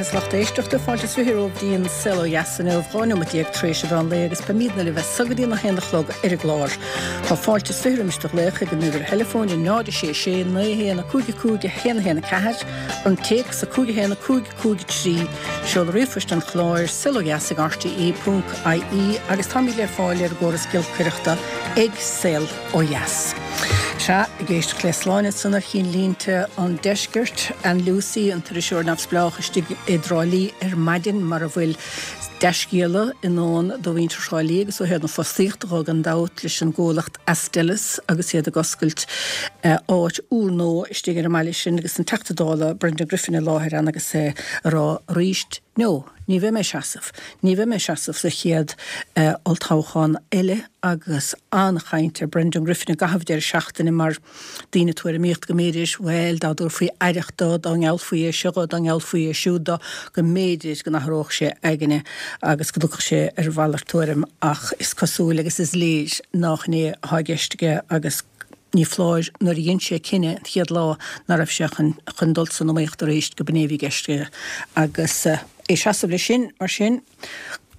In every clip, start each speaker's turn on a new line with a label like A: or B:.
A: agus lucht éisteachta, fáilte is 20 romhaibh dtí an Saol Ó Dheas inniu, 12 nóimeat tar éis an mheán lae agus beimidne libh as so go dtí an 1 a chlog ar an gclár. Tá fáilte is 20 roimis do ghlaoch ag an uimhir theileafóin 0 6 6 9 1 5 5 1 1 4, an téacs 5 1 5 5 3, seoladh ríomhphoist an chláir, saolodheas ag rte ponc ie agus táimid le fáil ar an gcóras giolcaireachta ag Saol Ó Dheas. Sea, ag éisteacht le Sláine ansan ar chinnlínte an deiscirt, Ann Lucey, an t-iriseoir neamhspleách istigh i dTrá Lí ar maidin mar a bhfuil dea-scéala i ndán do mhuintir Thrá Lí agus ó thaobh na fostaíochta dhó gan dabht leis an gcomhlacht Astellas agus iad ag oscailt áit úrnua istigh ar an mbaile sin agus an Teachta Dála Brendan Griffin i láthair ann agus é a rá arís No, ní bheidh mé ag seasamh. Ní bheidh mé ag seasamh sa chéad olltoghchán eile agus an-chaint ar Brendan Griffin i gcaitheamh deireadh seachtaine mar daoine ag tuairimíocht go mb'fhéidir, bhuel, dá dtabharfaí aireacht dó, dá ngeallfaí é seo dhó, dá ngeallfaí é siúd dó, go mb'fhéidir go n-athródh sé a aigne agus go dtiocfadh sé ar mhalairt tuairim ach is cosúil agus is léir nách in é atá i gceist aige agus ní foláir nuair a dhein sé cinneadh an chéad lá ná raibh sé chun chun dul san iomaíocht arís go b'in é a bhí i gceist aige agus é ag seasamh leis sin mar sin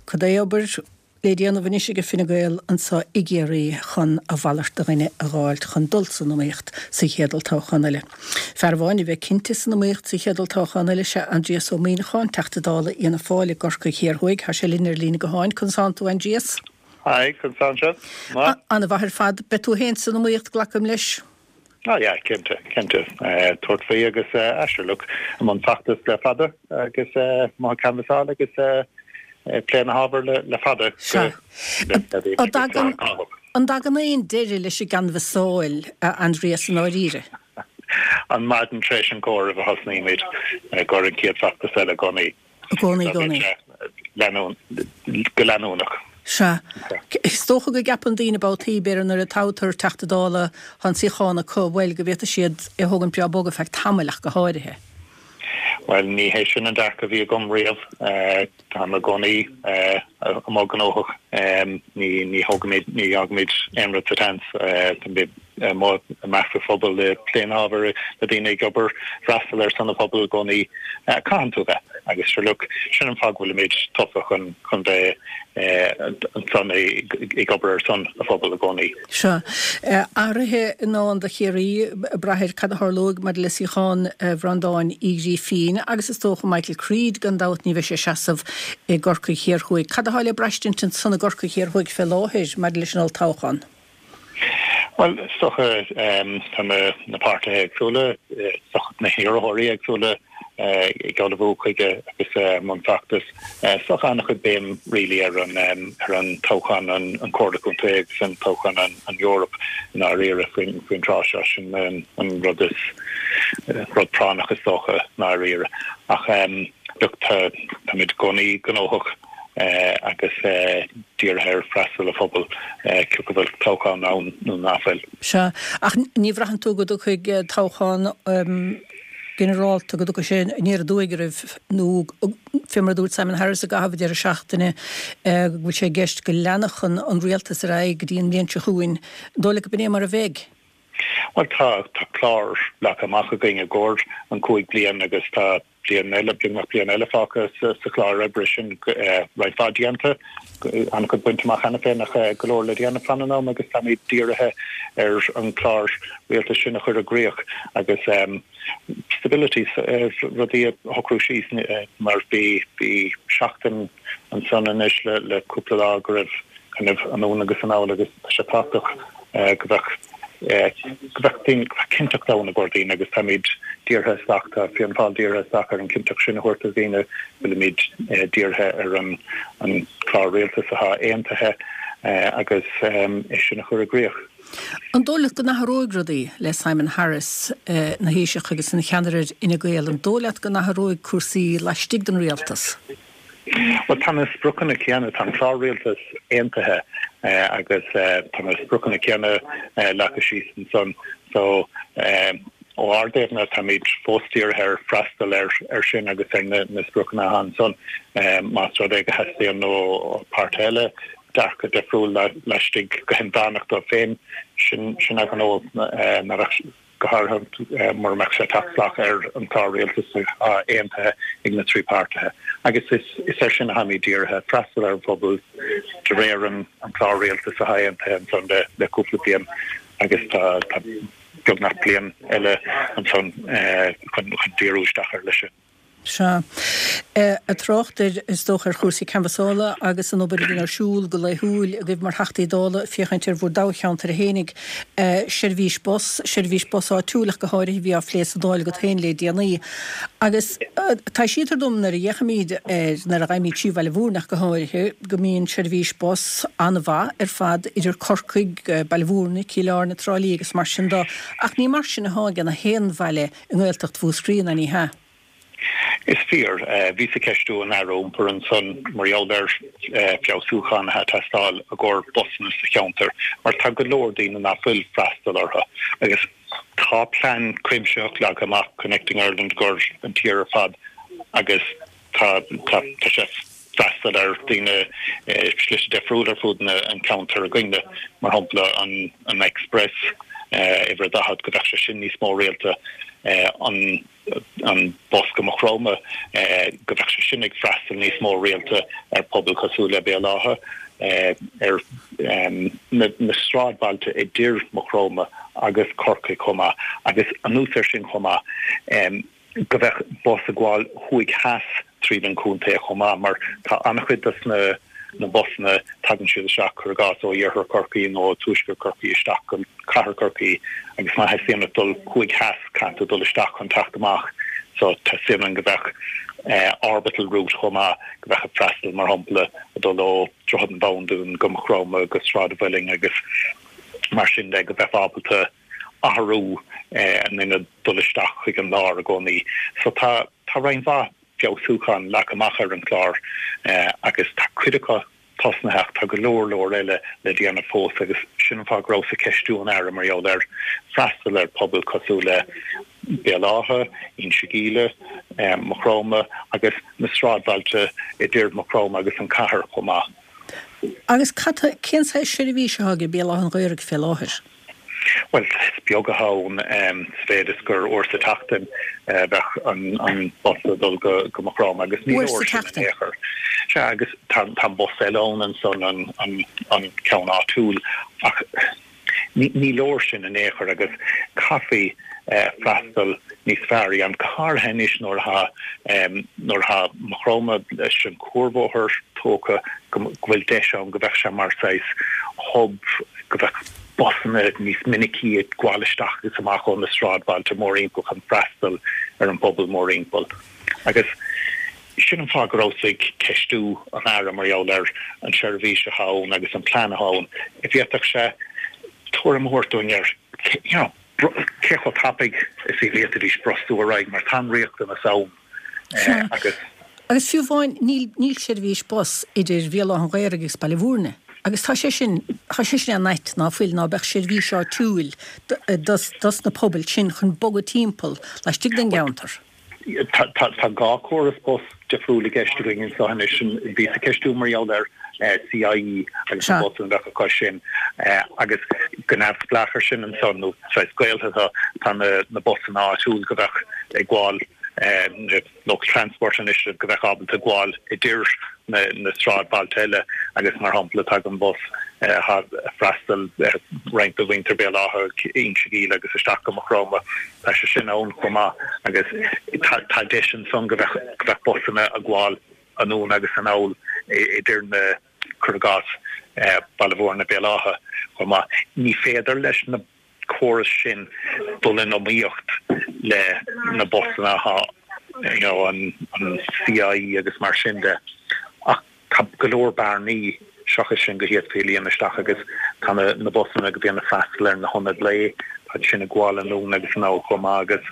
A: cad é obair le déanamh anois aige Fine Gael anso i gCiarraí chun a mhalairt de dhuine a dh'fháilt chun dul san iomaíocht sa chéad olltoghchán eile. Fear amháin a bheidh cinnte san iomaíocht sa chéad olltoghchán eile sea Aindrias Ó Muimhneacháin, Teachta Dála Fhianna Fáil i gCorcaigh Thiar Thuaidh. Tá sé linn ar líne gutháin. Conas tánn tú, Aindrias?
B: Hi, conas tánn sibh?
A: Maith. An-mhaith ar fad. Beidh tú féin san iomaíocht, glacaim leis?
B: Ah yeah, cinnte, cinnte. Tabhairt faoi agus ah sure look, i mbun feachtas le fada agus amuigh ag canbhasáil agus ag plé na hábhair le fada.
A: Sea. An dtagann, an dtagann aon deireadh leis an gcanbhasáil, a Aindrias, i ndáiríre?
B: An maidin tar éis an chomhairimh a thosnaímid i gcomhair an chéad feachtas eile i gcónaí.
A: I gcónaí, i gcónaí.
B: Go leanúnach.
A: Sea. Is dócha go gceapann daoine babhtaí, b'fhéidir nuair a toghtar Teachta Dála, tá an suíochán acu, bhuel, go bhféadfaidh siad é a thógaint breá bog ar feadh tamaill ach go háirithe.
B: Bhuel, ní hé sin an dearcadh a bhí agam riamh. Táim i gcónaí amuigh gnóthach. Ní thógaimid, ní fhágaimid aon rud sa tseans. Táimid amuigh i measc an phobail, ag plé na hábhair le daoine, ag obair, freastal ar son an phobail i gcónaí. Caitheann tú bheith. Agus sure look, sin an fáth go bhfuilimid tofa chun chun bheith ansan ag obair ar son an phobail i gcónaí.
A: Sea. Athruithe i ndán do Chiarraí, ag brath ar cad a tharlóidh maidir le suíochán Bhreandáin Uí Ghrífín agus is dócha Michael Creed, gan dabht ní bheidh sé ag seasamh i gCorcaigh Thiar Thuaidh. Cad atá le braistint ansan i gCorcaigh Thiar Thuaidh fé láthair maidir leis an olltoghchán?
B: Bhuel, is dócha, tá na páirtithe éagsúla, is dócha na hiarrthóirí éagsúla ag ullmhú chuige agus i mbun feachtais. Is dócha an-chuid béim really ar an ar an toghchán an Comhairle Contae agus an toghchán an Eoraip i ndáiríre faoin faoin tráth seo. Sin an rud is rud práinneach is dócha i ndáiríre. Ach look, tá táimid i gcónaí gnóthach. agus dírithe ar freastal an phobail, cé go bhfuil toghchán ann nó nach bhfuil.
A: Sea, ach ní bhraitheann tú go dtiocfaidh toghchán ginearálta, go dtiocfaidh sé aniar aduaidh oraibh, nó fé mar a dúirt Simon Harris i gcaitheamh an deireadh seachtaine, go bhfuil sé i gceist go leanfadh an rialtas ar aghaidh go dtí an bhliain seo chugainn. An dóigh leat go b'in é mar a bheidh?
B: Bhuel, tá clár leagtha amach againn i gcomhair an 5 bliain agus tá bliain eile, beagnach bliain eile fágtha sa chlár oibre sin, roinnt mhaith déanta, an-chuid bainte amach cheana féin ach go leor le déanamh fan an am agus táimid dírithe ar an chlár rialtais sin a chur i gcrích agus stability, rudaí a shocrú síos mar bhí seachtain ansan anois le cúpla lá go raibh kind of anonn agus anall agus tá sé tábhachtach go bheadh go bheadh daoine, go bheadh cinnteacht ann i gcomhair daoine agus táimid dírithe isteach, tá Fianna Fáil dírithe isteach ar an chinnteacht sin a thabhairt do dhaoine, bhfuilimid dírithe ar an an clár rialtais atá aontaithe agus é sin a chur i gcrích.
A: An dóigh leat go n-athróidh rudaí le Simon Harris ina Thaoiseach agus ina cheannaire ar Fhine Gael? An dóigh leat go n-athróidh cúrsaí laistigh den rialtas?
B: Bhuel, tá na spriocanna céanna, tá an clár rialtais aontaithe agus tá na spriocanna céanna leagtha síos ansan. So, ó ár dtaobhna, táimid fós dírithe ar freastal air sin agus ar na spriocanna atá ansan. Más rud é go theastaíonn ó páirtithe eile dearcadh difriúil laistigh go hinmheánach dóibh féin, sin a ngnó. go háirithe mura mbeadh sé ag teacht salach ar an chlár rialtais atá aontaithe ag na 3 páirtithe. Agus is air sin atháimid dírithe, freastal ar an phobal de réir an chlár rialtais atá aontaithe ansan le cúpla bliain agus tá beagnach bliain eile ansan chun díriú isteach air leis sin.
A: Sea. Ag trácht ar, is dócha, ar chúrsaí canbhasála agus an obair a bhíonn ar siúl go laethúil agaibh mar Theachtaí Dála, féachaint ar bhur dtoghcheantair fhéinig, seirbhís bus, seirbhís bus áitiúil ach go háirithe, a bhí á phlé sa Dáil agat féin le déanaí. Agus taibhsítear dom nuair a fhéachaimid ar, nuair a ghabhaimid trí Bhaile Mhúirne ach go háirithe, go mbíonn seirbhís bus an-mhaith ar fad idir Corcaigh, Baile Mhúirne, Cill Airne, Trá Lí agus mar sin de, ach ní mar sin atá ag gach aon bhaile i nGaeltacht Mhúscraí, ná ní hea?
B: Is fíor. Bhíos ag ceistiú an Aire Iompair ansan mar gheall ar feabhsúcháin atá ag teastáil i gcomhair busanna sa cheantar mar tá go leor daoine ná fuil freastal orthu agus tá plean cuimsitheach leagtha amach, Connecting Ireland, i gcomhair an tír ar fad agus tá tá sé freastal ar daoine slite difriúla ar fud an ceantar againne, mar shampla an an Express uimhir a 40 go bheadh sé sin níos mó rialta, an an bus go Maigh Chromtha go bheadh sé sin ag freastal níos mó rialta ar pobal cosúil le Béal Átha, ar na sráidbhailte idir Maigh Chromtha agus Corcaigh chomh maith agus anuas air sin chomh maith. go bheadh bus ag gabháil thuaidh theas tríd an chontae chomh maith mar tá an-chuid dos na na busanna, tagann siad isteach, cuir i gcás, ó iarthar Chorcaí nó ó tuaisceart Chorcaí isteach go cathair Chorcaí agus má theastaíonn uait dul thuaidh theas caithfidh tú dul isteach chun teacht amach so teastaíonn uainn go bheadh orbital route chomh maith go bheadh ag freastal mar shampla ag dul ó Droichead an Bhabhúin go Maigh Chromtha go Sráid an Mhuilinn agus mar sin de go bheifeá ábalta athrú in ionad dul isteach chuig an lár i gcónaí. So tá tá roinnt mhaith feabhsúchán leagtha amach ar an chlár agus tá cuid acu tosnaithe ach tá go leor leor eile le déanamh fós agus sin an fáth go rabhas ag ceistiú an Aire mar gheall ar freastal ar pobal cosúil le Béal Átha, Inse Gíle, Maigh Chromtha agus na sráidbhailte idir Maigh Chromtha agus an cathair chomh maith.
A: Agus cad, cén saghas seirbhís atá ag Béal Átha an Ghaorthaidh fé láthair?
B: Bhuel, is beag atá ann sa mhéid is gur uair sa tseachtain a bheadh an bus ag dul go Maigh Chromtha agus ní leor sin in aon chor. Sea, agus tá an bus eile ann ansan, an ceann áitiúil, ach ní leor sin in aon chor agus caithfí freastal níos fearr a dhéanamh, go háirithe anois nuair atá nuair atá Maigh Chromtha leis an cuarbhóthar tógtha, go bhfuil deis ann go bheadh sé mar saghas hub, go bheadh busanna níos minicí ag gabháil isteach agus amach ó na sráidbhailte mórthimpeall chun freastal ar an bpobal mórthimpeall. Agus sin an fáth go rabhas ag ceistiú an Aire mar gheall ar an seirbhís atá ann agus an plean atá ann. An bhféadfadh sé tuairim a thabhairt dúinn ar you know cé chomh tapaidh is a bhféadfaidís brostú ar aghaidh mar tá an riachtanas ann
A: agus. Agus fiú amháin níl níl seirbhís bus idir Bhéal Átha an Ghaorthaidh agus Baile Mhúirne agus tá sé sin tá sé sin an-ait ná fuil ná beadh seirbhís áitiúil dos dos na pobail sin chun bogadh timpeall laistigh den gceantar.
B: Tá 2 córas bus difriúil i gceist againn anseo anois. Bhíos ag ceistiú mar gheall ar CIE agus na busanna a bheadh acu sin agus go neamhspleách ar sin ansan, nó saghas gaolta, tá na busanna áitiúil go bheadh ag gabháil local transport anois go bheadh ábalta gabháil idir na sráidbhailte eile agus mar shampla tagann bus atá ag freastal ar roinnt de mhuintir Béal Átha, Inse Gíle agus isteach go Maigh Chromtha. Tá sé sin ann chomh maith agus tá deis ansan go bheadh go bheadh busanna ag gabháil anonn agus anall idir na, cuir i gcás, Baile Mhúirne, Béal Átha chomh maith. Ní féidir leis na córais sin dul in iomaíocht le na busanna atá you know an CIE agus mar sin de ach tá go leor bearnaí seachas sin go bhféadfaí a líonadh isteach agus tá na na busanna go bhíonn ag freastal ar na hionaid lae, tá sin ag gabháil anonn agus anall chomh maith agus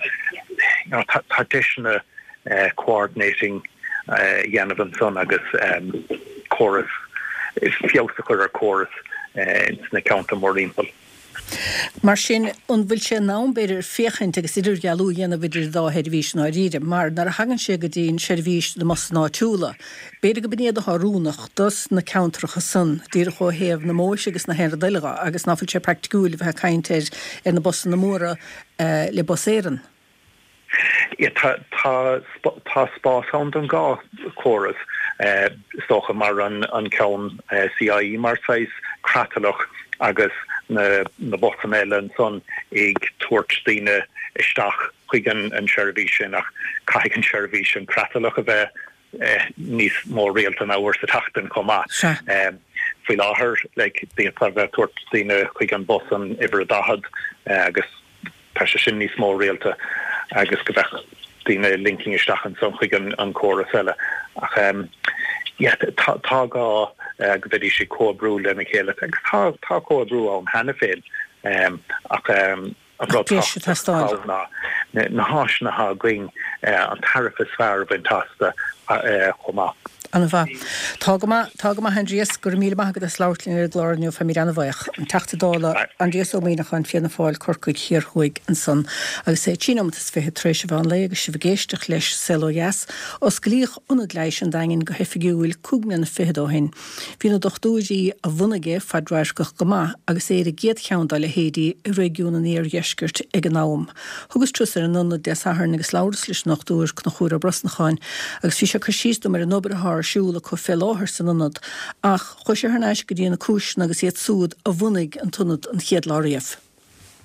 B: you know tá tá deiseanna coordinating a dhéanamh ansan agus córas, feabhas a chur ar córas ins na ceantair mórthimpeall.
A: Mar sin, an bhfuil sé in am, b'fhéidir, féachaint agus idirdhealú a dhéanamh idir an dá sheirbhís i ndáiríre? Mar nuair a thagann sé go dtí an seirbhís na mbusanna áitiúla, b'fhéidir go b'in iad atá oiriúnach dos na ceantracha san, díreach ó thaobh na mbóithre agus na haon rud eile dhe, agus ná fuil sé praiticiúil a bheith ag caint ar ar na busanna móra le Bus Éireann.
B: Tá tá spás ann don dhá chóras, is dócha, mar an ceann CIE mar saghas creatlach agus na busanna eile ansan ag tabhairt daoine isteach chuig an seirbhís sin ach caithfidh an seirbhís an creatlach a bheith níos mó rialta ná uair sa tseachtain chomh maith. Faoi láthair, like, d'fhéadfá a bheith ag tabhairt daoine chuig an bus an uimhir a 40 agus tá sé sin níos mó rialta agus go mbeadh daoine linking isteach ansan chuig an córas eile. Ach yeah, tá tá gá go mbeidís ag comhoibriú lena chéile agus tá tá comhoibriú ann cheana féin ach An rud tábhachtach ná na háiseanna atá againn, an tairbhe is fearr a bhaint astu chomh maith.
A: An-mhaith. Tá go maith, tá go maith Aindrias, go raibh míle maith agat as labhairt linn ar an gclár inniu, táimid an-bhuíoch. An Teachta Dála Aindrias Ó Muimhneacháin, Fianna Fáil, Corcaigh Thiar Thuaidh ansan. Agus é 3 nóimeat is 20 tar éis an mheán lae agus sibh ag éisteacht leis Saol Ó Dheas, osclaíodh Ionad Leighis an Daingin go hoifigiúil cúig mbliana fichead ó shin. Bhí na dochtúirí a bhunaigh é fadradharcach go maith agus é ar an gcéad cheann dá leithéidí i réigiún an iardheiscirt ag an am. Thugas turas ar an ionad Dé Sathairn agus labhras leis an nDochtúir Conchúr Ó Brosnacháin agus bhí sé ag cur síos dom ar an obair atá ar siúl acu fé láthair san ionad ach chuaigh sé thar n-ais go dtí na cúiseanna agus iad súd a bhunaigh an t-ionad an chéad lá riamh.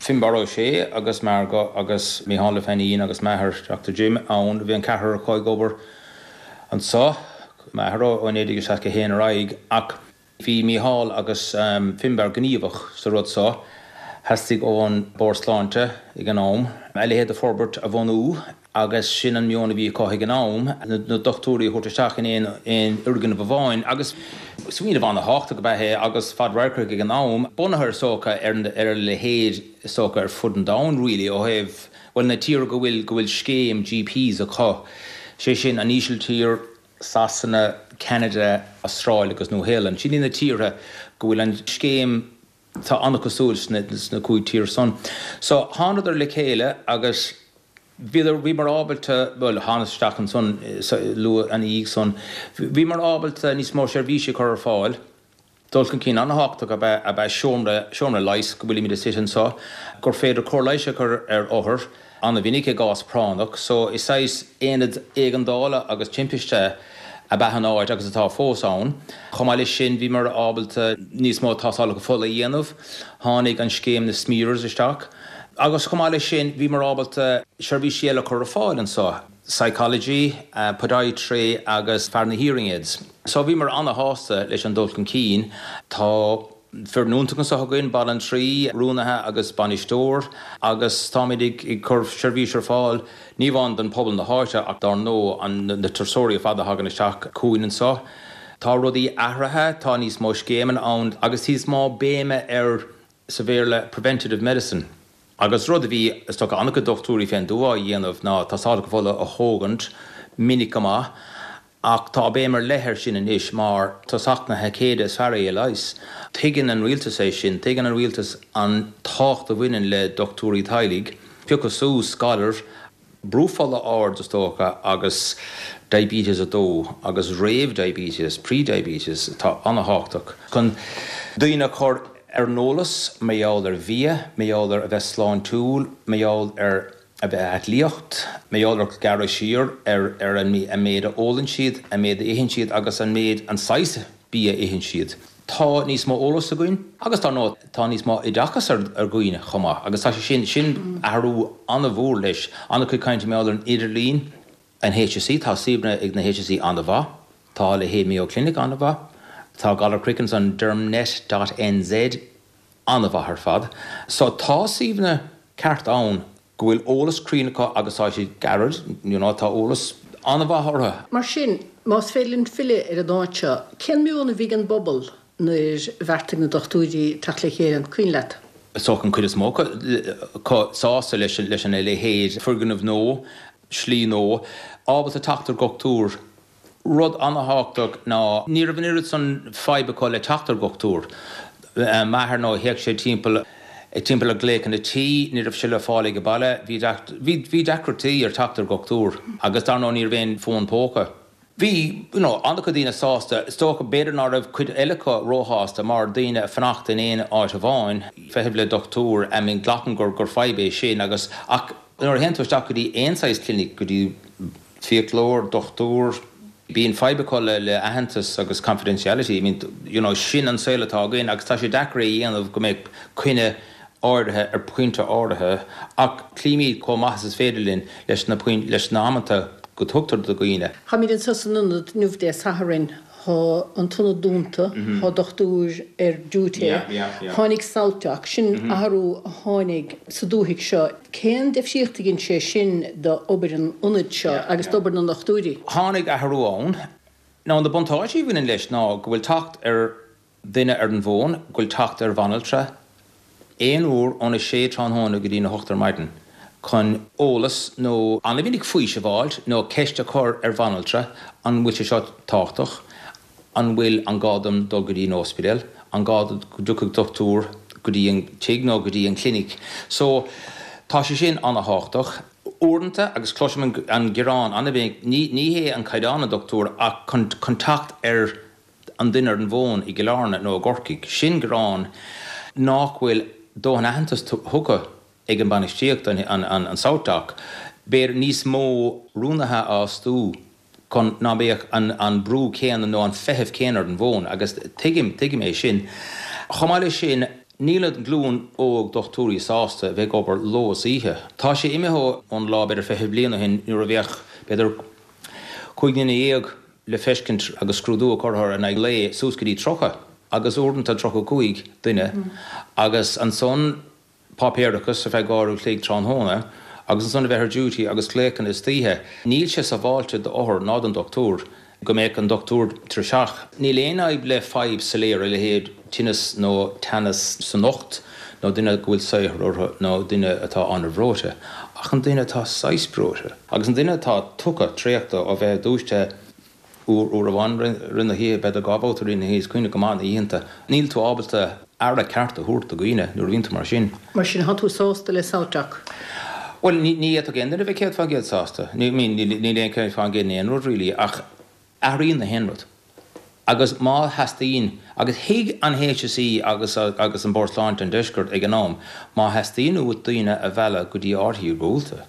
C: Finbarr Ó Sé agus Margo agus Micheál Ó Feinín agus m'athair Dr Jim ann. Bhí an ceathrar acu ag obair anso, m'athair ó 1961 ar aghaidh ach bhí Micheál agus Finbarr gníomhach sa rud so. Theastaigh ón Bord Sláinte ag an am a leithéid de forbairt a bhunú agus sin an meon a bhí acu ag an am, na dochtúirí a thabhairt isteach in aon fhoirgneamh amháin agus smaoineamh an-thábhachtach ab ea é agus fadradharcach ag an am, bunaithe is dócha ar a leithéid is dócha ar fud an domhain really ó thaobh, bhuel na tíortha go bhfuil, go bhfuil scéim GPs acu, sé sin an Ísiltír, Sasana, Ceanada, Astráil agus Nua-Shéalainn. Sin iad na tíortha go bhfuil an scéim Tá an-cosúil sna cúig tír san. So, thánadar le chéile agus bhíodar, bhíomar ábalta, bhuel, thánas isteach ansan luath ina dhiaidh san, bhíomar ábalta níos mó seirbhísí a chur ar fáil. Dul chun cinn an-thábhachtach ab ea, ab ea seomra, seomra leighis go bhfuilimid istigh anso, gur féidir cóir leighis a chur ar othair, an-mhinic i gcás práinneach. So, is saghas aonad éigeandála agus timpiste ab ea an áit agus atá fós ann. Chomh maith leis sin, bhíomar ábalta níos mó tástálacha fola a dhéanamh. Tháinig an scéim na smears isteach. Agus chomh maith leis sin, bhíomar ábalta seirbhísí eile a chur ar fáil anso, psychology, podiatry agus fear na hearing aids. So bhíomar an-shásta leis an dul chun cinn. Tá. Foireann iontach anseo againn, banaltraí, rúnaithe agus bainisteoir, agus táimid ag cur seirbhís ar fáil ní amháin don pobal na háite ach dár ndóigh na turasóirí ar fad a thagann isteach chugainn anseo. Tá rudaí athraithe, tá níos mó scéimeanna ann agus níos mó béime ar, sa Bhéarla, preventative medicine. Agus rud a bhí, is dócha, an-chuid dochtúirí fén dtuath á dhéanamh ná tástálacha fola a thógaint minic go maith. Ach tá béim ar leith air sin anois mar tosach na haicéide is fearr é a leigheas. Tuigeann an rialtas é sin, tuigeann an rialtas an tábhacht a bhaineann le dochtúirí teaghlaigh. Piocadh suas galair, brú fola ard is dócha agus diabetes 2 agus réamh-diabetes, pre-diabetes, atá an-thábhachtach chun daoine a chur ar an eolas mar gheall ar bhia, mar gheall ar a bheith sláintiúil, mar gheall ar. a bheith aclaíocht, mar gheall ar gearradh siar ar an méid a ólann siad, an méid a itheann siad agus an méid, an saghas bia a itheann siad. Tá níos mó eolas againn agus dar ndóigh tá níos mó oideachas ar dhaoine chomh maith agus tá sé sin, sin athrú an-mhór leis. An-chuid cainte mar gheall ar an idirlíon, an HSE, tá suíomhanna ag na HSE an-mhaith, tá a leithéid Mayo Clinic an-mhaith, tá galar craicinn san dermnet dot nz, an-mhaith ar fad. So tá suíomhanna ceart ann go bhfuil eolas cruinn acu agus tá siad gairid, you know, tá eolas an-mhaith orthu.
A: Mar sin, más féidir linn filleadh ar an áit seo, cén meon a bhí ag an bpobal nuair a bheartaigh na dochtúirí teacht le chéile, an cuimhin leat?
C: Is dócha an chuid is mó acu sásta leis an leithéid foirgneamh nua, slí nua, ábalta teacht ar dhochtúir Rud an-thábhachtach ná ní raibh an oiread san fadhb acu le teacht ar dhochtúir. M'athair nó théadh sé timpeall. Ag timpeall ar glaochanna tí, ní raibh sé le fáil ag an baile, bhí, bhí deacrachtaí ar teacht ar dhochtúir agus dar ndóigh ní raibh aon fón póca. Bhí, you know, an-chuid daoine sásta, is dócha, b'fhéidir ná raibh cuid eile acu róshásta mar daoine ag fanacht in aon áit amháin, feitheamh le dochtúir, I mean glacaim gur, gur fadhb é sin agus, ach nuair a théann tú isteach go dtí aon saghas clinic, go dtí fiaclóir, dochtúir, bíonn fadhb acu le, le aitheantas agus confidentiality, I mean, you know, sin an saol atá againn agus tá sé deacair é a dhéanamh go mbeadh coinne áirithe ar phointe áirithe ach cloímid chomh maith is is féidir linn leis na leis na hamanta go dtugtar do dhaoine.
A: Táimid anseo san ionad inniu Dé Sathairn. Tá an t-ionad dúnta, tá dochtúir ar duty. Tháinig SouthDoc, sin athrú a tháinig sa dúthaigh seo. Cén difríocht a dhein sé sin d'obair an ionaid seo agus d'obair na ndochtúirí?
C: Tháinig athrú ann. Now na buntáistí a bhaineann leis ná go bhfuil teacht ar duine ar an bhfón, go bhfuil teacht ar bhanaltra aon uair óna sé tráthnóna go dtí na hocht ar maidin chun eolas nó an-mhinic faoiseamh a fháilt nó ceist a chur ar bhanaltra, an bhfuil sé seo tábhachtach, an bhfuil, an gá dom dul go dtí an ospidéal, an gá go dtiocfadh dochtúir go dtí an tigh nó go dtí an clinic. So, tá sé sin an-thábhachtach. Uaireanta, agus cloisim an gearán an-mhinic, ní ní hé an caighdeán an dochtúir ach chun chun teacht ar an duine ar an bhfón i gCill Airne nó i gCorcaigh. Sin gearán nách bhfuil dóthain aitheantas tugtha ag an bainistíocht, an SouthDoc. B'fhéidir níos mó rúnaithe a fhostú chun ná beadh an brú céanna nó an feitheamh céanna ar an bhfón agus tuigim, tuigim é sin. Chomh maith leis sin, níl an glúin óg dochtúirí sásta a bheith ag obair ló is oíche. Tá sé imithe ón lá b'fhéidir 20 bliain ó shin nuair a bheadh b'fhéidir 15 nduine le feiscint agus scrúdú á chur orthu in aghaidh lae suas go dtí 30 agus uaireanta 35 duine agus ansan páipéarachas ar feadh uair an chloig tráthnóna agus ansan a bheith ar duty agus glaochanna istoíche. Níl sé sábháilte d'othar ná don dochtúir go mbeadh an dochtúir tuirseach. Níl aon fhadhb le fadhb soiléir a leithéid tinneas nó teannas san ucht nó duine go bhfuil saothar orthu nó duine atá an-bhreoite ach an duine atá saghas breoite agus an duine atá tugtha traochta ó bheith dúisithe uair, uair amháin rith na hoíche, b'fhéidir dhá bhabhta rith na hoíche, is cuimhneach go maith na oícheanta, níl tú ábalta aire ceart a thabhairt do dhaoine nuair a bhíonn tú mar sin.
A: Mar sin, tá tú sásta le SouthDoc?
C: Bhuel, ní fhéadfadh aon duine a bheith 100% sásta. I mean, níl aon 100% in aon rud really ach athraíonn na haon rud. Agus má theastaíonn, agus thuig an HSE agus agus an Bord Sláinte an Deiscirt ag an am, má theastaíonn uait daoine a mhealladh go dtí áit iargúlta,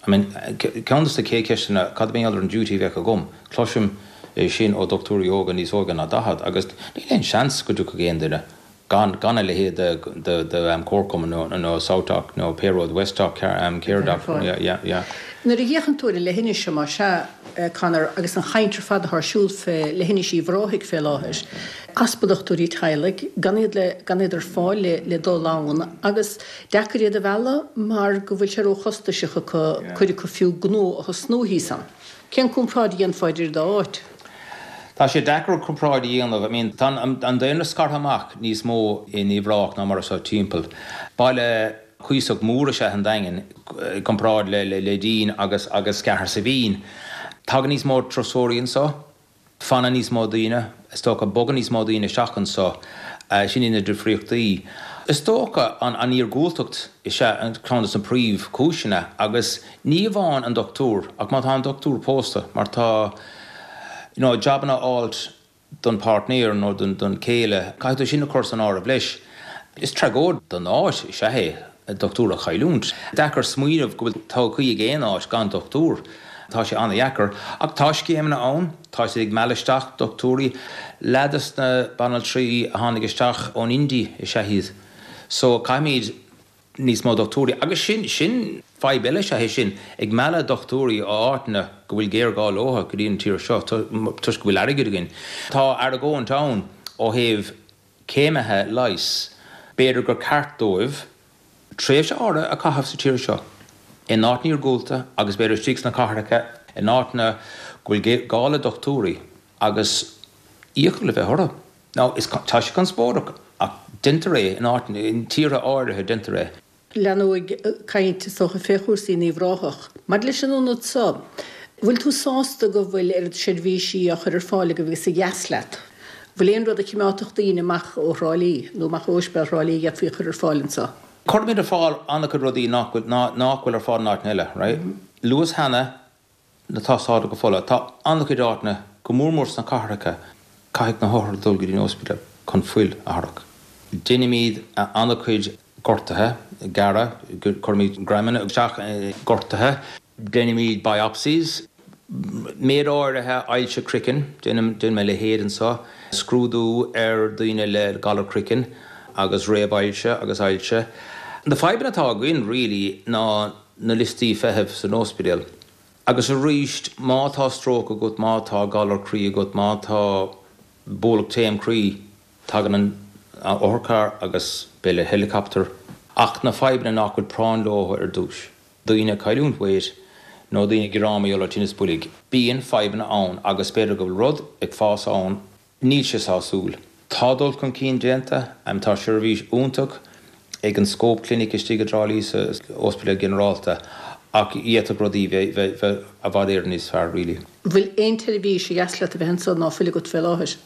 C: I mean, ceann de na chéad cheisteanna, cad a bheadh ar an duty a bheadh agam? Cloisim é sin ó dochtúirí óga níos óige ná 40 agus níl aon seans go dtiocfadh aon duine gan gan a leithéid de de de comharchumann nó nó SouthDoc nó pé rud, WestDoc, CareDoc, yeah, yeah, yeah.
A: Nuair a fhéachann tú ar an leithinis seo, más ea, Conor, agus an chaint ar fad atá ar siúl fé leithinis Uíbh Ráthaigh fé láthair, easpa dochtúirí teaghlaigh, gan iad le, gan iad ar fáil le, le dul ann agus deacair iad a mhealladh mar go bhfuil sé róchostasach acu, cuid acu fiú gnó a thosnú thíos ann. Cén comparáid a dhéanfá idir an dá áit?
C: Tá sé deacair comparáid a dhéanamh. I mean, tá an daonra scartha amach níos mó in Uíbh Ráthach ná mar atá timpeall. Baile cuíosach mór is ea an Daingean i gcomparáid le Neidín agus agus Cahersiveen. Tagann níos mó turasóirí anseo. Fanann níos mó daoine, is dócha, bogann níos mó daoine isteach anseo. Sin iad na difríochtaí. Is dócha an iargúltacht is ea ceann de na príomhchúiseanna agus ní amháin an dochtúir ach má tá an dochtúir pósta mar tá you know jabanna a fháilt don páirtnéir nó don chéile, caithfidh tú sin a chur san áireamh leis. Is tragóid don áit is ea é dochtúir a chailliúint. Deacair smaoineamh go bhfuil todhchaí ag aon áit gan dochtúir. Tá sé an-dheacair. Ach tá scéimeanna ann, tá siad ag mealladh isteach dochtúirí. Leath des na banaltraí a tháinig isteach ón India is ea iad. So caithfimid níos mó dochtúirí. Agus sin, sin fadhb eile is ea é sin, ag mealladh dochtúirí ó áiteanna go bhfuil géarghá leo go dtí an tír seo toisc go bhfuil airgead againn. Tá argóint ann ó thaobh céimithe leighis, b'fhéidir gur ceart dóibh tréimhse áirithe a chaitheamh sa tír seo, in áiteanna iargúlta agus b'fhéidir istigh sna cathracha, in áiteanna go bhfuil gá le dochtúirí agus iachall a bheith orthu. Now, is, tá sé conspóideach ach deintear é in áiteanna, in tíortha áirithe deintear é.
A: Leanfaidh caint is dócha fé chúrsaí in Uíbh Ráthach. Maidir leis an ionad so, bhfuil tú sásta go bhfuil oiread seirbhísí á chur ar fáil agaibh agus a dheas leat? Bhfuil aon rud a chimeádfadh daoine amach ó Thrá Lí nó amach ó Ospidéal Thrá Lí a d'fhéadfaí a chur ar fáil anso?
C: Cuirimid ar fáil an-chuid rudaí nach bhfuil, nach bhfuil ar fáil in áiteanna eile, right? Luas cheana na tástálacha fola. Tá an-chuid áiteanna, go mór mór sna cathracha, caithfidh na hothair dul go dtí an ospidéal chun fuil a tharrac. Déanaimid an-chuid gortuithe, gearradh, cuirimid greamanna isteach i ngortuithe, déanaimid biopsies, méid áirithe ailse craicinn, déanaim a leithéid anseo, scrúdú ar daoine le galar craicinn agus réamh-ailse agus ailse. Na fadhbanna atá againn really ná na liostaí feithimh san ospidéal. Agus arís, má tá stróc agat, má tá galar croí agat, má tá bualadh taom croí, tagann an otharcharr agus b'fhéidir le helicopter. Ach na fadhbanna nach bhfuil práinn leo ar dtús, daoine ag cailliúint weight nó daoine ag gearán mar gheall ar tinneas boilg, bíonn fadhbanna ann agus b'fhéidir go bhfuil rud ag fás ann Níl sé sásúil. Tá dul chun cinn déanta. Tá seirbhís iontach ag an Scope Clinic istigh i dTrá Lí sa Ospidéal Ginearálta ach d'fhéadfadh rudaí bheith i bhfad Éireann níos fearr really.
A: Bhfuil aon tseirbhís ar dheas leat a bheith anso ná fuil agat fé láthair?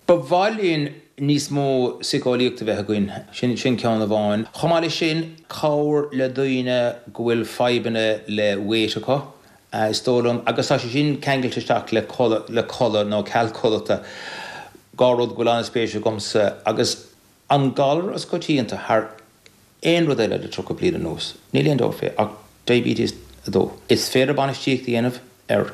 C: Ba mhaith linn níos mó síceolaíochta a bheith againn. Sin sin ceann amháin. Chomh maith leis sin, cabhair le daoine go bhfuil fadhbanna le weight acu. Is dóigh liom, agus tá sé sin ceangailte isteach le codladh, le codladh nó ceal codlata, dhá rud go bhfuil an-spéis agamsa, agus an galar is coitianta thar aon rud eile le 30 bliain anuas, níl aon dabht fé, ach diabetes 2. Is féidir bainistíocht a dhéanamh air.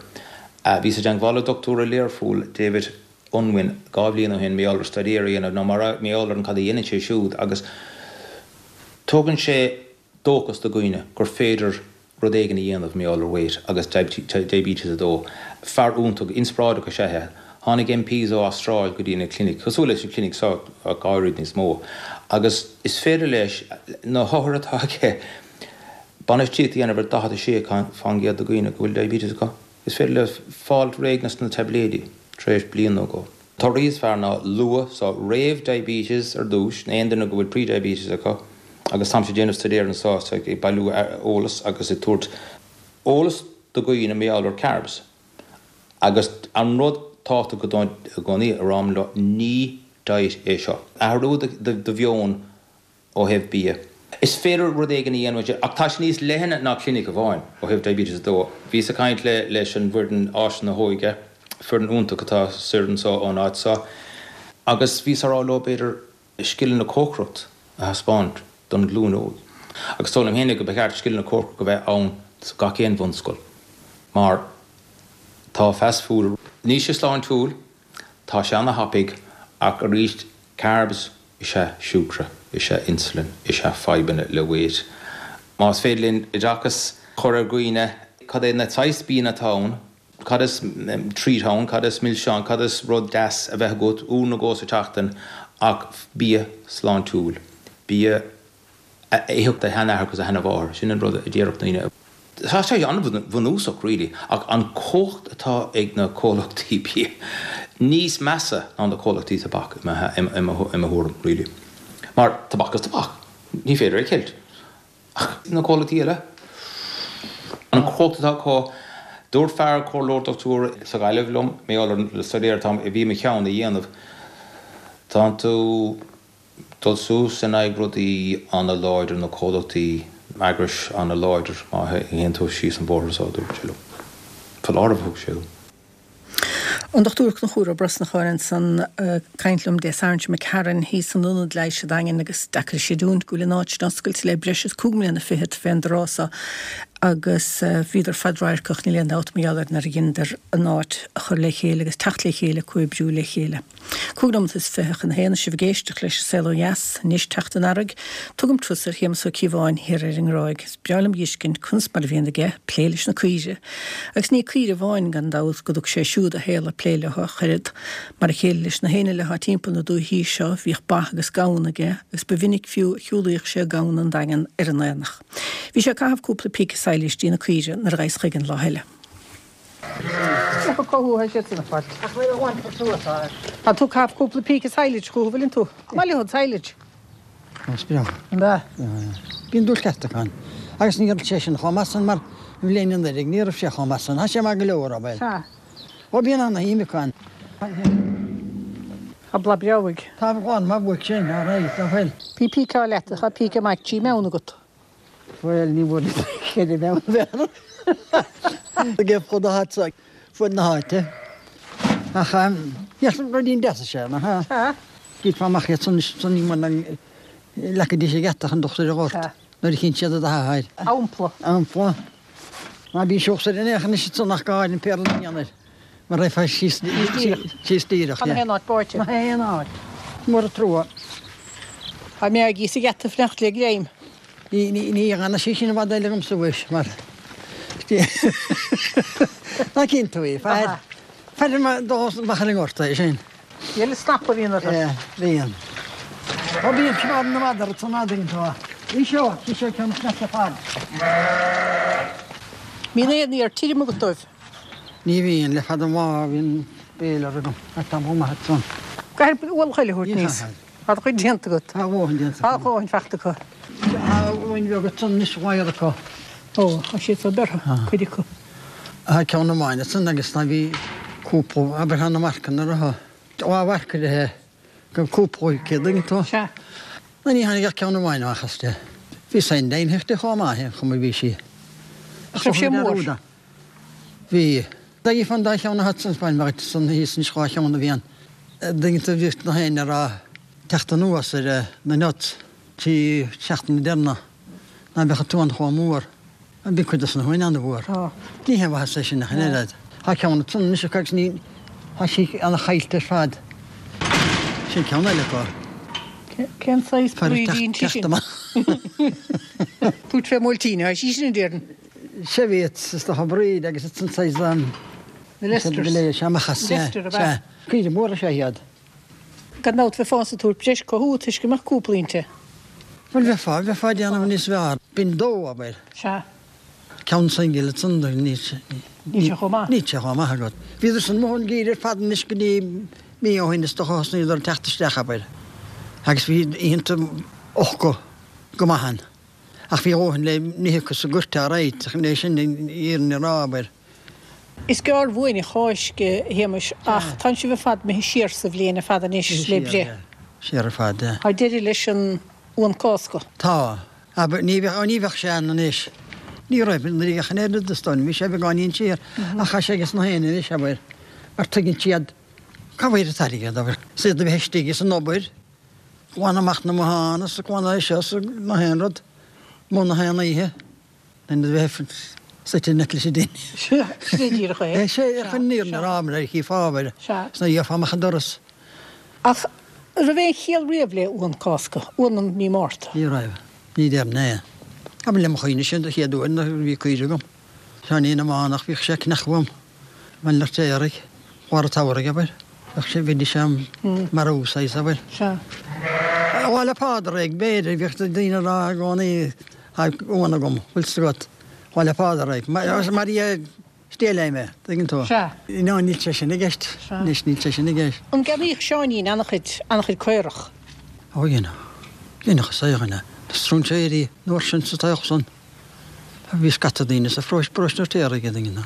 C: Bhíos i dteangmháil le dochtúir i Learpholl, David Unwin, dhá bhliain ó shin, mar gheall ar staidéar a dhéanamh, nó mar gheall ar an cad a dhéanann sé siúd, agus tugann sé dóchas do dhaoine gur féidir rud éigin a dhéanamh mar gheall ar weight agus diabetes 2. Fear iontach, inspioráideach is ea é. Tháinig MPs ó Astráil go dtí na clinic, cosúil leis an clinic seo ach oiread níos mó, agus is féidir leis na hothair atá aige bainistíocht a dhéanamh ar 46% de dhaoine go bhfuil diabetes acu. Is féidir leo fáil réidh leis na taibléidí tar éis bliain nó dhó. Torthaí is fearr ná luath, so réamh-diabetes ar dtús, aon duine go bhfuil pre-diabetes acu, agus táimse ag déanamh staidéar anseo so ag bailiú eolas agus ag tabhairt eolas do dhaoine mar gheall ar carbs. Agus an rud tábhachtach i gcónaí a ráim leo, ní diet é seo. Athrú do mheon ó thaobh bia. Is féidir rud éigin a dhéanamh ansin, ach tá sé níos leithne ná clinic amháin ó thaobh diabetes 2. Bhíos ag caint le leis an bhfoireann Áiseanna Óige, foireann iontach atá soir anseo ón áit seo, agus bhíos á rá leo b'fhéidir scileanna cócaireacht a thaispeáint don ghlúin óg. Agus dóigh liom féinig go ba cheart scileanna cócaireacht a bheith ann sa gach aon bhunscoil, mar tá fast food, níl sé sláintiúil, tá sé ana-thapaidh, ach arís carbs, is ea siúcra, is ea insulin, is ea fadhbanna le weight. Más féidir linn oideachas a chur ar dhaoine, cad é na saghas bianna atá ann, cad is treat ann, cad is milseán, cad is rud deas a bheith agat uair nó dhó sa tseachtain ach bia sláintiúil, bia a itheadh do sheanathair agus do sheanamháthair, sin an rud a déarfadh daoine. Tá sé an-bhunúsach really, ach an chumhacht atá ag na comhlachtaí bia níos measa ná na comhlachtaí tobac i mo thuairim really. Mar tobac is tobac, ní féidir é a cheilt. Ach na comhlachtaí eile, an chumhacht atá acu, dúirt fear comhairleoir dochtúir sa Ghaillimh liom, mar gheall ar an staidéar atá a bhí i mo cheann a dhéanamh, tánn tú dul suas in aghaidh rudaí an-láidir, na comhlachtaí, eagrais an-láidir, má théann tú síos an bóthar so, a dúirt sé liom. Foláireamh a thug sé dom.
A: An Dr Conchúr Ó Brosnacháin ansan ag caint liom Dé Sathairn seo imigh tharainn thíos san Ionad Leighis sa Daingean agus deacair a chreidiúint go bhfuil an áit sin oscailte le breis is cúig mbliana fichead fén dtráth so agus bhíodar fadradharcach níl aon dabht mar gheall air nuair a dheineadar an áit a chur le chéile agus teacht le chéile comhoibriú le chéile. Cúig nóimeat is fiche chun a haon is sibh ag éisteacht leis An Saol Ó Dheas anois teacht an earraigh. Tugaim turas ar Shéamus Ó Cíobháin thiar ar an nGráig. Is breá liom a dh'fheiscint conas mar a bhíonn aige plé leis na caoire. Agus ní caoire amháin gan dabht go dtug sé siúd a shaol ag plé leo ach oiread. Mar a chéile leis na héinne eile atá timpeall na dúichí seo bhíodh ba agus gamhain aige agus ba mhinic fiú a shiúlaíodh sé gamhna an Daingean ar an aonach. Bhí sé ag caitheamh cúpla píce sadhlas dí na caoire nuair a ghabhas chuige an lá eile. Tá tú ag caitheamh cúpla píce silage chucu, bhfuileann tú? Maith leo an silage.
D: Is breá.
A: An ea?
D: Bíonn dúil ceart acu ann. Agus ní raibh sé sin chomh maith san mar an bhliain anuraidh, ní raibh sé chomh maith san. Tá sé maith go leor, abair.
A: Sea.
D: Ó bíonn ana-shuim acu ann.
A: Tá bláth breá uaidh.
D: Tá bláth maith uaidh sin, alright, tá fuil.
A: Bí píceáil leat, tá píce maith trí mheán agat.
D: Bhuel, ní bhfuair ceithre mheán b'fhearr. Ag fud na háite, fud na háite. Ach ruidín deas is ea, nach ea?
A: Sea.
D: D'íocfá amach iad san, san ní muna leagfaidís an geata chun dochtair a ghort nuair a chinn siad i do hathair.
A: Ampla.
D: Ampla. Ná bíonn siúcsa ar an fhéach anois ansan ach go háirithe an péarla a dhéanamh air. Mar raghfá síos síos díreach.
A: Tá na haon áit báite.
D: Na haon áit. Mór an trua.
A: Tá Meaigí sa gheata ag fanacht le greim.
D: Ní ní ní dhéanfaidh sí sin i bhfad eile agamsa mhuis mar Ná cinn tú í. Faire faire mar dós amach ar an ngort é sin.
A: Eile snap a bhíonn orthu.
D: Yeah, bhíonn. Ó bíonn smear na madra san fhad tú. Í seo, í seo ceann sneachta fad.
A: Bíonn aon fhéar tirim agat dóibh.
D: Ní bhíonn, le fada an lá bhíonn béile agam, ach tá chomh maith ansan.
A: Caithfidh ualach eile a thabhairt aníos. Tá do chuid déanta agat.
D: Tá a dhóthain déanta
A: Tá a dhóthain fachta acu.
D: Tá uain bheag ansan anois mhaor acu.
A: Ó, tá siad so bearrtha, cuid acu.
D: Tá ceann amháin ansan agus tá bhí cúpla, abair tá na marcanna orthu. Dhá mharc uirthi go cúpla céad tú.
A: Sea.
D: Ná ní tháinig ach ceann amháin amach as de. Bhí sain deimhneach de chomh maith, an chuma a bhí sí.
A: Ach raibh sé mór.
D: Bhí. D'fhéadfá an dá cheann a thabhairt san Spáinn, bheadh san thíos anois dhá cheann a bhí ann. Duine bhíodh na héinne a raibh teacht anuas ar na nuts trí seachtaine deireanach ná beadh an t-uan chomh mór. Bhí cuid dos na huain an-mhór. Ní haon mhaitheas é sin ach an oiread. Tá ceann ansan anois acu agus ní, tá sí ana-chaillte ar fad. Sin ceann eile acu.
A: Cén saghas brídín sí sin? Dúirt fé Mhailtín, tá sí sin, a déarfainn.
D: Sea bhí is dócha Bríd agus it's an saghas um
A: Na Leicesters.
D: Sea amach as sea.
A: Leicester ab ea?
D: Sea. Caoire móra is ea iad.
A: Gan dabht bheifeása ag tabhairt breis cothú toisc go mbeadh cúpla inti.
D: Bhuel bheifeá, bheifeá ag déanamh níos fearr. B'in dó, abair.
A: Sea.
D: Ceann singil ansan do níl sé.
A: Níl sé chomh maith.
D: Níl sé chomh maith agat. Bhíodar san amuigh an geimhreadh ar fad anois go dtí mí ó shin is dócha thosnaíodar ag teacht isteach abair. Agus bhí oícheanta acu go maith ann. Ach bhí a dhóthain le n-ithe acu sa gcúirt alright, chun é sin an fhírinne a rá, abair.
A: Is gearr uainn an Cháisc, a Shéamais, ach tánn sibh ar fad imithe siar sa bhliain ar fad anois le breith.
D: Siar ar fad, yeah.
A: Tá deireadh leis an uan Cásca.
D: Tá. Abair, ní bheadh, ní bheadh sé ann anois. Ní raibh, nuair a bheadh an oiread is dóigh, bhí sé beagáinín siar, ach tá sé ages na héinne anois, abair, mar tuigeann siad cá bhfuil an t-airgead, abair. Is iad a bheith istigh is an obair. Glanadh amach na mbotháin is glanadh é seo is na haon rud, amuigh na haon oíche, in a bheith suite in aice leis an dtine.
A: Sin é díreach é.
D: Sé ar chun an fhírinne a rá mar a chífeá abair, is nuair a gheofá amach an doras.
A: Ach an raibh aon chiall riamh le uan Cásca, uan an mí Márta?
D: Ní raibh. Ní déarfainn é. Abair le mo chuimhne-se an chéad uair nuair a bhí caoire agam. Seáinín na mBánach, bhíodh sé ag cneachadh uaim. Bhain lucht éaraigh, lár an tsamhraidh, abair. Bheadh sé, bheidís á marú, saghas, abair.
A: Sea.
D: Lá 'le Pádraig, b'fhéidir, bhíodh daoine ag rá i gcónaí, tá uan agam, bhfuil 's agat, Lá 'le Pádraig. Mar dhea, stealladh mé, tuigeann tú.
A: Sea.
D: No, níl sé sin i gceist.
A: Sea.
D: Anois, níl sé sin i gceist.
A: An gceannaíodh Seáinín an-chuid, an-chuid caorach?
D: Ó, dhéanadh. Dhéanadh is é dhuine. Na stróinséirí, an uair sin sa taobh san. Bhí scata daoine sa pharóiste, paróiste an Fheirtéaraigh a daoine.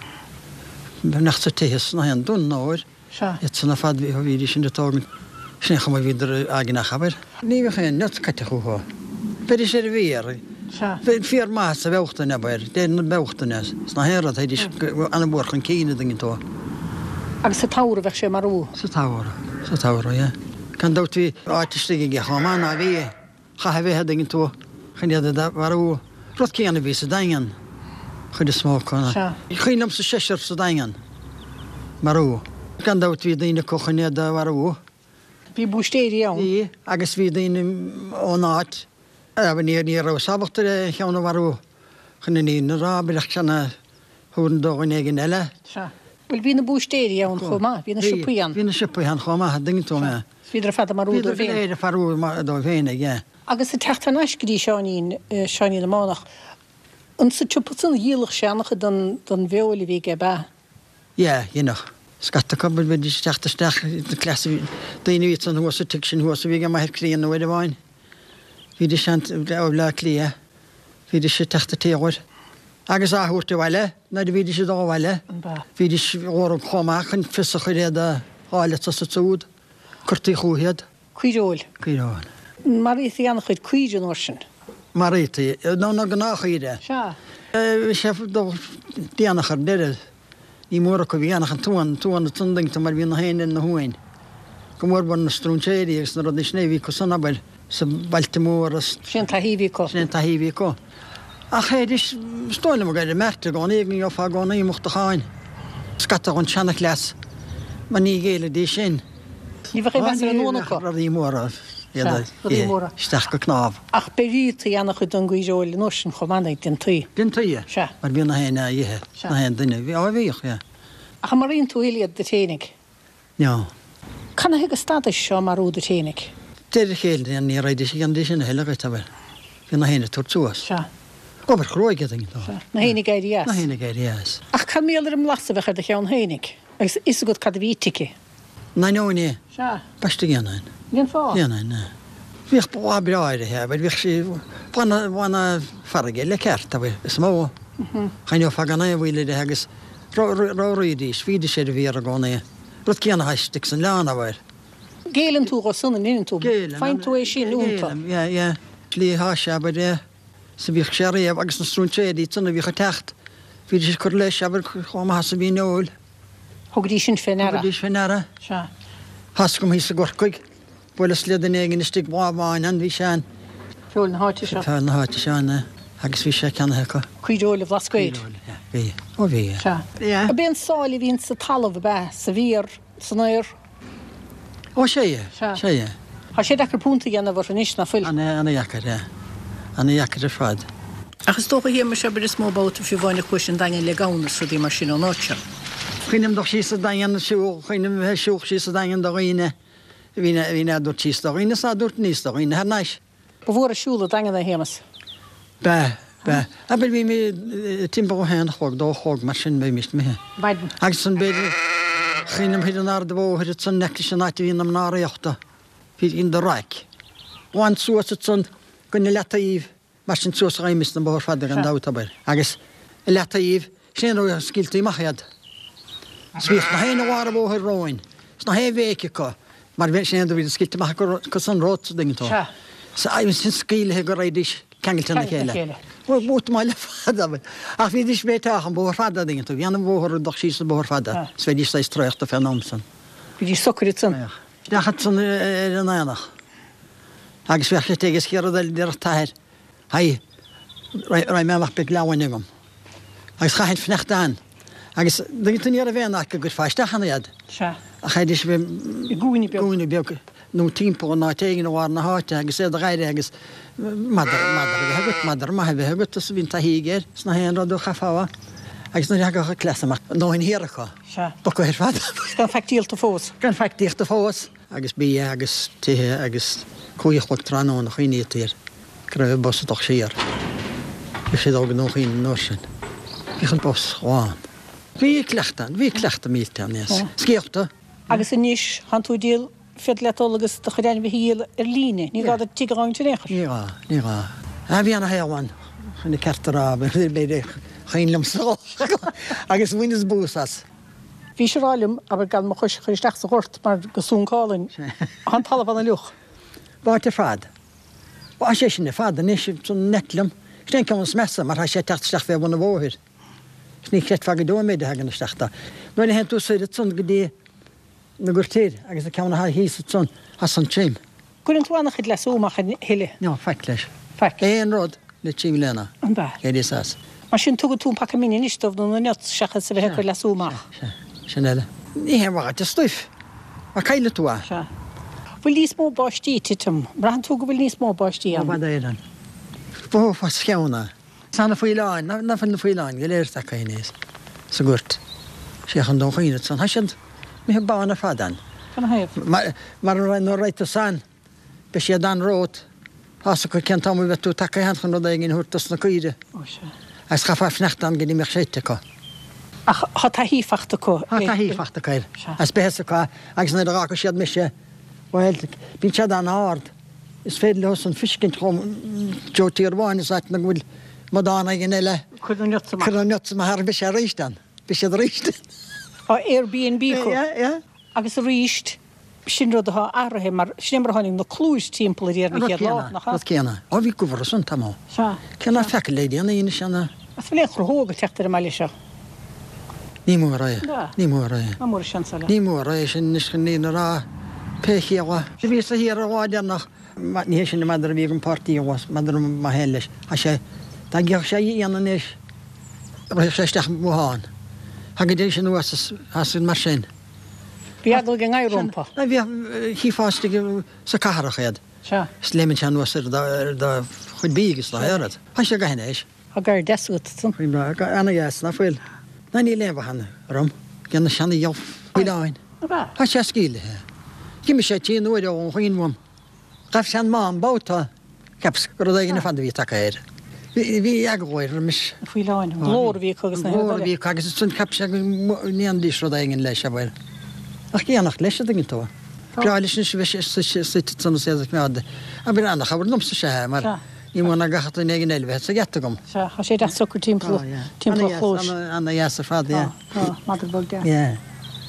D: Nach sa tithe sna haon dún óir.
A: Sea.
D: Iad san ar fad bhí bhídís sin ag tógaint. Sin é an chuma a bhíodar eagna abair. Ní bheadh aon nuts caite chucu. Bheidís ar an bhféar.
A: Sea.
D: Féar maith sa Bhealtaine abair. Deireadh na Bealtaine. Sna haon rud théidís an-mhór chun cinn a dtuigeann tú.
A: Agus sa tsamhradh bheadh sé marú.
D: Sa tsamhradh. Sa tsamhradh, yeah. Gan dabht bhí áit istigh aige chomh maith ná bhí. Chaithfeá a bheith, a dtuigeann tú, chun iad a mharú. Rud céanna a bhí sa Daingean, chuid is mó acu.
A: Sea.
D: Cuimhin liomsa seisear sa Daingean. Marú. Gan dabht bhí daoine acu chun iad a mharú.
A: Bhí búistéirí ann.
D: Bhí, agus bhí daoine ón áit, ní, ní rabhas ábalta ar aon cheann a mharú chun an fhírinne a rá, abair ach ceann a thabharfainn do dhuine éigin eile.
A: Sea. Bhuel, bhí na búistéirí ann chomh maith, bhí na siopaí ann.
D: Bhí na siopaí ann chomh maith, a dtuigeann tú mé.
A: Bhíodar ar fad ag marú
D: Bhíodar
A: dóibh
D: go
A: féin.
D: léir ag marú dóibh féin, yeah.
A: Agus ag teacht thar n-ais go dtí Seáinín, Seáinín na mBánach, an sa tsiopa san a dhíoladh sé an-chuid den, den bhfeoil a bhí aige, ab ea?
D: Yeah, dheineadh. Scata acu, bheidís ag teacht isteach, cleas, daoine a bhí ansan thuas sa tigh sin thuas a bhí ag m'athair críonna uair amháin. Bhídís ann ó Bhleá Cliath, bhídís ag teacht an t-uair. Agus á thabhairt abhaile, nuair a bhídís ag dul abhaile,
A: An b'ea?
D: bhídís dhórag chomh maith chun fios a chur iad a fháil anso is ansúd. Cuirtí chúithi iad.
A: Caoireoil.
D: Caoireoil.
A: Maraítaí an-chuid caoire an uair sin.
D: Maraítaí, nó na gnáthchaoire.
A: Sea.
D: Bhí sé déanach ar deireadh. Ní mór acu a bhí ann ach an t-uan, an t-uan ansan dtuigeann tú mar bhí na héinne ar na huain. Go mór mhór na stróinséirí agus na rudaí sin a bhí acu san, abair, sa bailte móra.
A: Sin an taithí a bhí acu.
D: Sin an taithí a bhí acu. Ach théidís, is dóigh liom, ag éirí meirt i gcónaí go ngeofá i gcónaí uchtacháin. Scata ón seanachleas, mar ní ghéillfidís sin.
A: Ní bheadh aon mheas ar an uan acu.
D: Rudaí móra iad a ithe isteach go cnámh.
A: Ach bheirtí an-chuid den gcaoireoil an uair sin chomh maith, déantaí.
D: Déantaí, Sea. Mar bhí na héinne á ithe, na haon duine. Bhí, á bhíodh, yeah.
A: Ach an maraíonn tú a thuilleadh iad duit fhéinig?
D: No.
A: Canathaobh go stadais á marú duit fhéinig?
D: De réir a chéile, ní raghaidís a dhéanamh sin a thuilleadh dhuit, abair. Bhí na héinne ag tabhairt suas.
A: Sea.
D: Obair chruaidh a dtuigeann tú.
A: Sea. Na héinne ag éirí as.
D: Na héinne ag éirí as.
A: Ach cad mar gheall ar an mblas a bheadh ar do cheann fhéinig? Agus fhios agat cad a bhí ite aici?
D: N'ainneoin é.
A: Sea.
D: B'aisteach dhéanfainn.
A: Cén fáth?
D: Dhéanfainn, é. Bhíodh boladh breá uirthi, abair, bhíodh sí, boladh na farraige le ceart, abair, is mó. Choinneofá gan aon mhoill uirthi agus ramhraídís, bhídís ar an bhféar i gcónaí. Rud céanna atá istigh san oileán, abair.
A: Géilleann tú dhó san, an ndeineann tú?
D: Géilleann.
A: Faigheann tú é sin iontu.
D: Géilleann, yeah, yeah. Slí atá sé, abair, é. Is a bhíodh sé riamh agus na stróinséirí ansan a bhíodh ag teacht, bhídís ag cur leis, abair, chomh maith is a bhí an fheoil.
A: Thugaidís sin fé ndeara.
D: Thugaidís fé ndeara.
A: Sea.
D: Tá's agam thíos i gCorcaigh, bhuaileas le duine éigin istigh lá amháin ann, bhí sé ann.
A: Feoil na háite seo.
D: Feoil na háite seo ann, eh, agus bhí sé ceannaithe acu.
A: Caoireoil an Bhlascaoid.
D: Caoireoil, yeah, bhí. Ó bhí, yeah.
A: Sea.
D: Yeah.
A: Ab é an sáile a bhíonn sa talamh, ab ea? Sa bhféar, san fhéar?
D: Ó, sea, yeah.
A: Sea.
D: Sea, yeah.
A: Tá sé deacair punt a dhéanamh orthu anois, ná fuil?
D: Ana-dheacair, yeah. Ana-dheacair ar fad.
A: Ach is dócha, a Shéamais, abair, is mó babhta fiú amháin a chuais an Daingean le gamhna is rudaí mar sin ón áit seo.
D: Cuimhním dul síos an Daingean, siúl, cuimhním a bheith ag siúl síos an Daingean do dhaoine, a bhí, a bhí ná dúirt síos do dhaoine is ná dúirt aníos do dhaoine thar n-ais.
A: Ba mhór an siúl an Daingean é, a Shéamais.
D: B'ea, b'ea. Abair bhí mé timpeall a haon a chlog, dó a chlog, mar sin bheimis imithe.
A: Maidin.
D: Agus ansan b'fhéidir, cuimhním thoir in Ard a' Bhóthair ansan in aice leis an áit a bhí na mná rialta, bhí in the raic. Glan suas ansan go na leataoibh Mar sin suas a raghaimist an bóthar fada gan dabht, abair. Agus i leataoibh, sin é an rud a scaoiltí amach iad. 'S bhíodh na héinne lár an bhóthair romhainn, 's na haon bhéic acu, mar bhí, sin é an rud a bhí scaoilte amach acu san romhat, a dtuigeann tú.
A: Sea.
D: 'S ansin scaoilthe go raghaidís ceangailte lena chéile. Bhuel, bhuel, le fada, abair. Ach bhídís béiteach an bóthar fada, a dtuigeann tú. Bhí an bhóthar ag dul síos an bóthar fada, 's bheidís saghas traochta fén am san.
A: Bhídís socair ansan.
D: Bheadh. Isteach ansan ar an aonach. Agus bheadh sé ag an chéad rud eile a déarfadh t'athair, Haigh, raghaidh mé amach beidh leamhain agam. Agus chaithfinn fanacht ann. Agus dtuigeann tú ní raibh aon áit go gcuirfeá isteach ann iad.
A: Sea.
D: Ach théidís a bheith
A: i gcúinne beag.
D: gcúinne beag nó timpeall in áit éigin i lár na háite agus iad a dh'aire agus madra, madra a bheith agat, madra maith a bheith agat is bhí an taithí aige air, is nach aon rud a chaithfeá. Agus nuair a thagadh an cleas amach, a ndóthain thiar acu.
A: Sea.
D: Bocadh ar fad.
A: Gan faic díolta fós.
D: Gan faic díolta fós. Agus bia agus tithe agus cúig a chlog tráthnóna chuimhnítear air go raibh an bus ag dul siar. Bhí siad óg nó chaoin an uair sin. Bhíodh an bus lán. Bhí cleachtadh ann, bhí cleachtadh millteach ann, yes. Scéalta.
A: Agus anois, thánn tú ag díol, féidir leat dul agus do chuid ainmhithe a dhíol ar líne, ní gá duit tigh a dh'fhágaint in aon chor.
D: Ní gá, ní gá. Ah, bhí ana-shaol ann, chun an ceart a rá, b'fhéidir, chaoin liomsa agus bhaineas bús as.
A: Bhís ag rá liom, abair, gan mo chois a chur isteach sa ghort mar go suncálainn. Tá an talamh ana-fhliuch.
D: Báite ar fad. Tá sé sin ar fad anois, san net liom. Sin é an ceann is measa, mar tá sé ag teacht isteach fé bhun an bhóthair. Is ní chreidfeá go deo an méid a thagann isteach dó. Nuair a théann tú soir ansan go dtí na Goirt Thoir agus an ceann atá thíos ansan, tá san tirim.
A: Cuireann tú an-chuid leasú amach a thuilleadh.
D: No, faic leis.
A: Faic.
D: Aon rud le 3 mbliana.
A: An ea?
D: Éiríos as.
A: Mar sin, tugann tú an paca mine anois dóibh nó na nuts seachas a bheith ag cur leasú amach.
D: Sea, sea. Sin eile. Ní haon mhaith duit an stuif, mar caillfidh tú é.
A: Sea. Bhfuil níos mó báistí ag titim? Braitheann tú go bhfuil níos mó báistí
D: ann? Ó bhfad Éireann. Bhó fos cheann é. Tá na faoileáin, ná fuil na faoileáin go léir tagtha aníos sa ghoirt. Sé chun Dún Chaoin ansan. Tá siad imithe bán ar fad ann.
A: Cén thaobh?
D: Mar, mar nuair a raghaidh tú san, beidh siad ann romhat. Tá's acu cén t-am a bheidh tú tagtha ann chun rud éigin a thabhairt dos na caoire.
A: Ó sea.
D: Agus chaithfeá fanacht ann go dtí mbeadh sé ite acu.
A: Ach tá taithí fachta acu
D: ar. Tá taithí fachta acu air.
A: Sea.
D: Agus beidh fhios acu agus nuair a dh'fhágfaidh siad mise, bhuel, bíonn siad an-ard. Is féidir leo san fiscint chomh Joe tír amháin is áit ina bhfuil amadán éigin eile.
A: Cuir na nuts amach.
D: Cuir na nuts amach ar beidh sé arís ann. Beidh siad arís ann.
A: Tá Airbnb acu.
D: Yeah, yeah.
A: Agus arís. Sin rud atá athraithe mar sin é mar a tháinig na cluais timpeall ar an
D: chéad lá, nach ea? Rud céanna. Ó bhí gobhar ansan tamall. Sea. Cé ná feaca le déanaí anois
A: an. Is bhfuil aon chruthóg ag teacht ar an mbaile seo?
D: Ní mór é. Ní mór é.
A: Ní mór an seans
D: eile. Ní mór é sin anois chun ní a rá pé chiall. Bhíos thiar an lá deireanach. Ní hé sin an madra a bhí ag an páirtí abhus, madra maith féin leis. Tá sé, dá gcífeadh sé éan anois, rithfeadh sé isteach i mbothán. Thagaidís anuas is as mar sin.
A: Bhí eagla ag an ngadhar rompu.
D: Bhíodh, chífeá istigh sa cathrach iad.
A: Sea.
D: Is léimeann sé anuas ar do chuid bídh agus do oiread. Tá sé go hainnis.
A: Tá gadhar deas agat
D: ansan. Ana-dheas, ná fuil? Ná níl aon mhaith ann orm. Ag na seana-fhaoileáin. Tá sé scaoilthe. D'imigh sé tinn uair ó Dhún Chaoin uaim. Ghabh sé an mám babhta. Cheapas gur rud éigin ar fad a bhí tagtha air. Bhí eagla air roimis.
A: Na faoileáin. An glór a bhí acu agus
D: na. An glór a bhí acu agus ansan cheap sé go ndéanfaidís rud éigin leis, abair. Ach ag éineacht leis, a dtuigeann tú. Breá leis anois a bheith suite ansan is é a choimeád. Abair, ana-chabhair liomsa is ea é, mar ní mó ná gach duine éigin eile bheith sa gheata agam.
A: Sea, tá sé deas socair timpeall timpeall an chlóis.
D: Ana-dheas ar fad, yeah.
A: Tá, tá, madra beag deas. Yeah.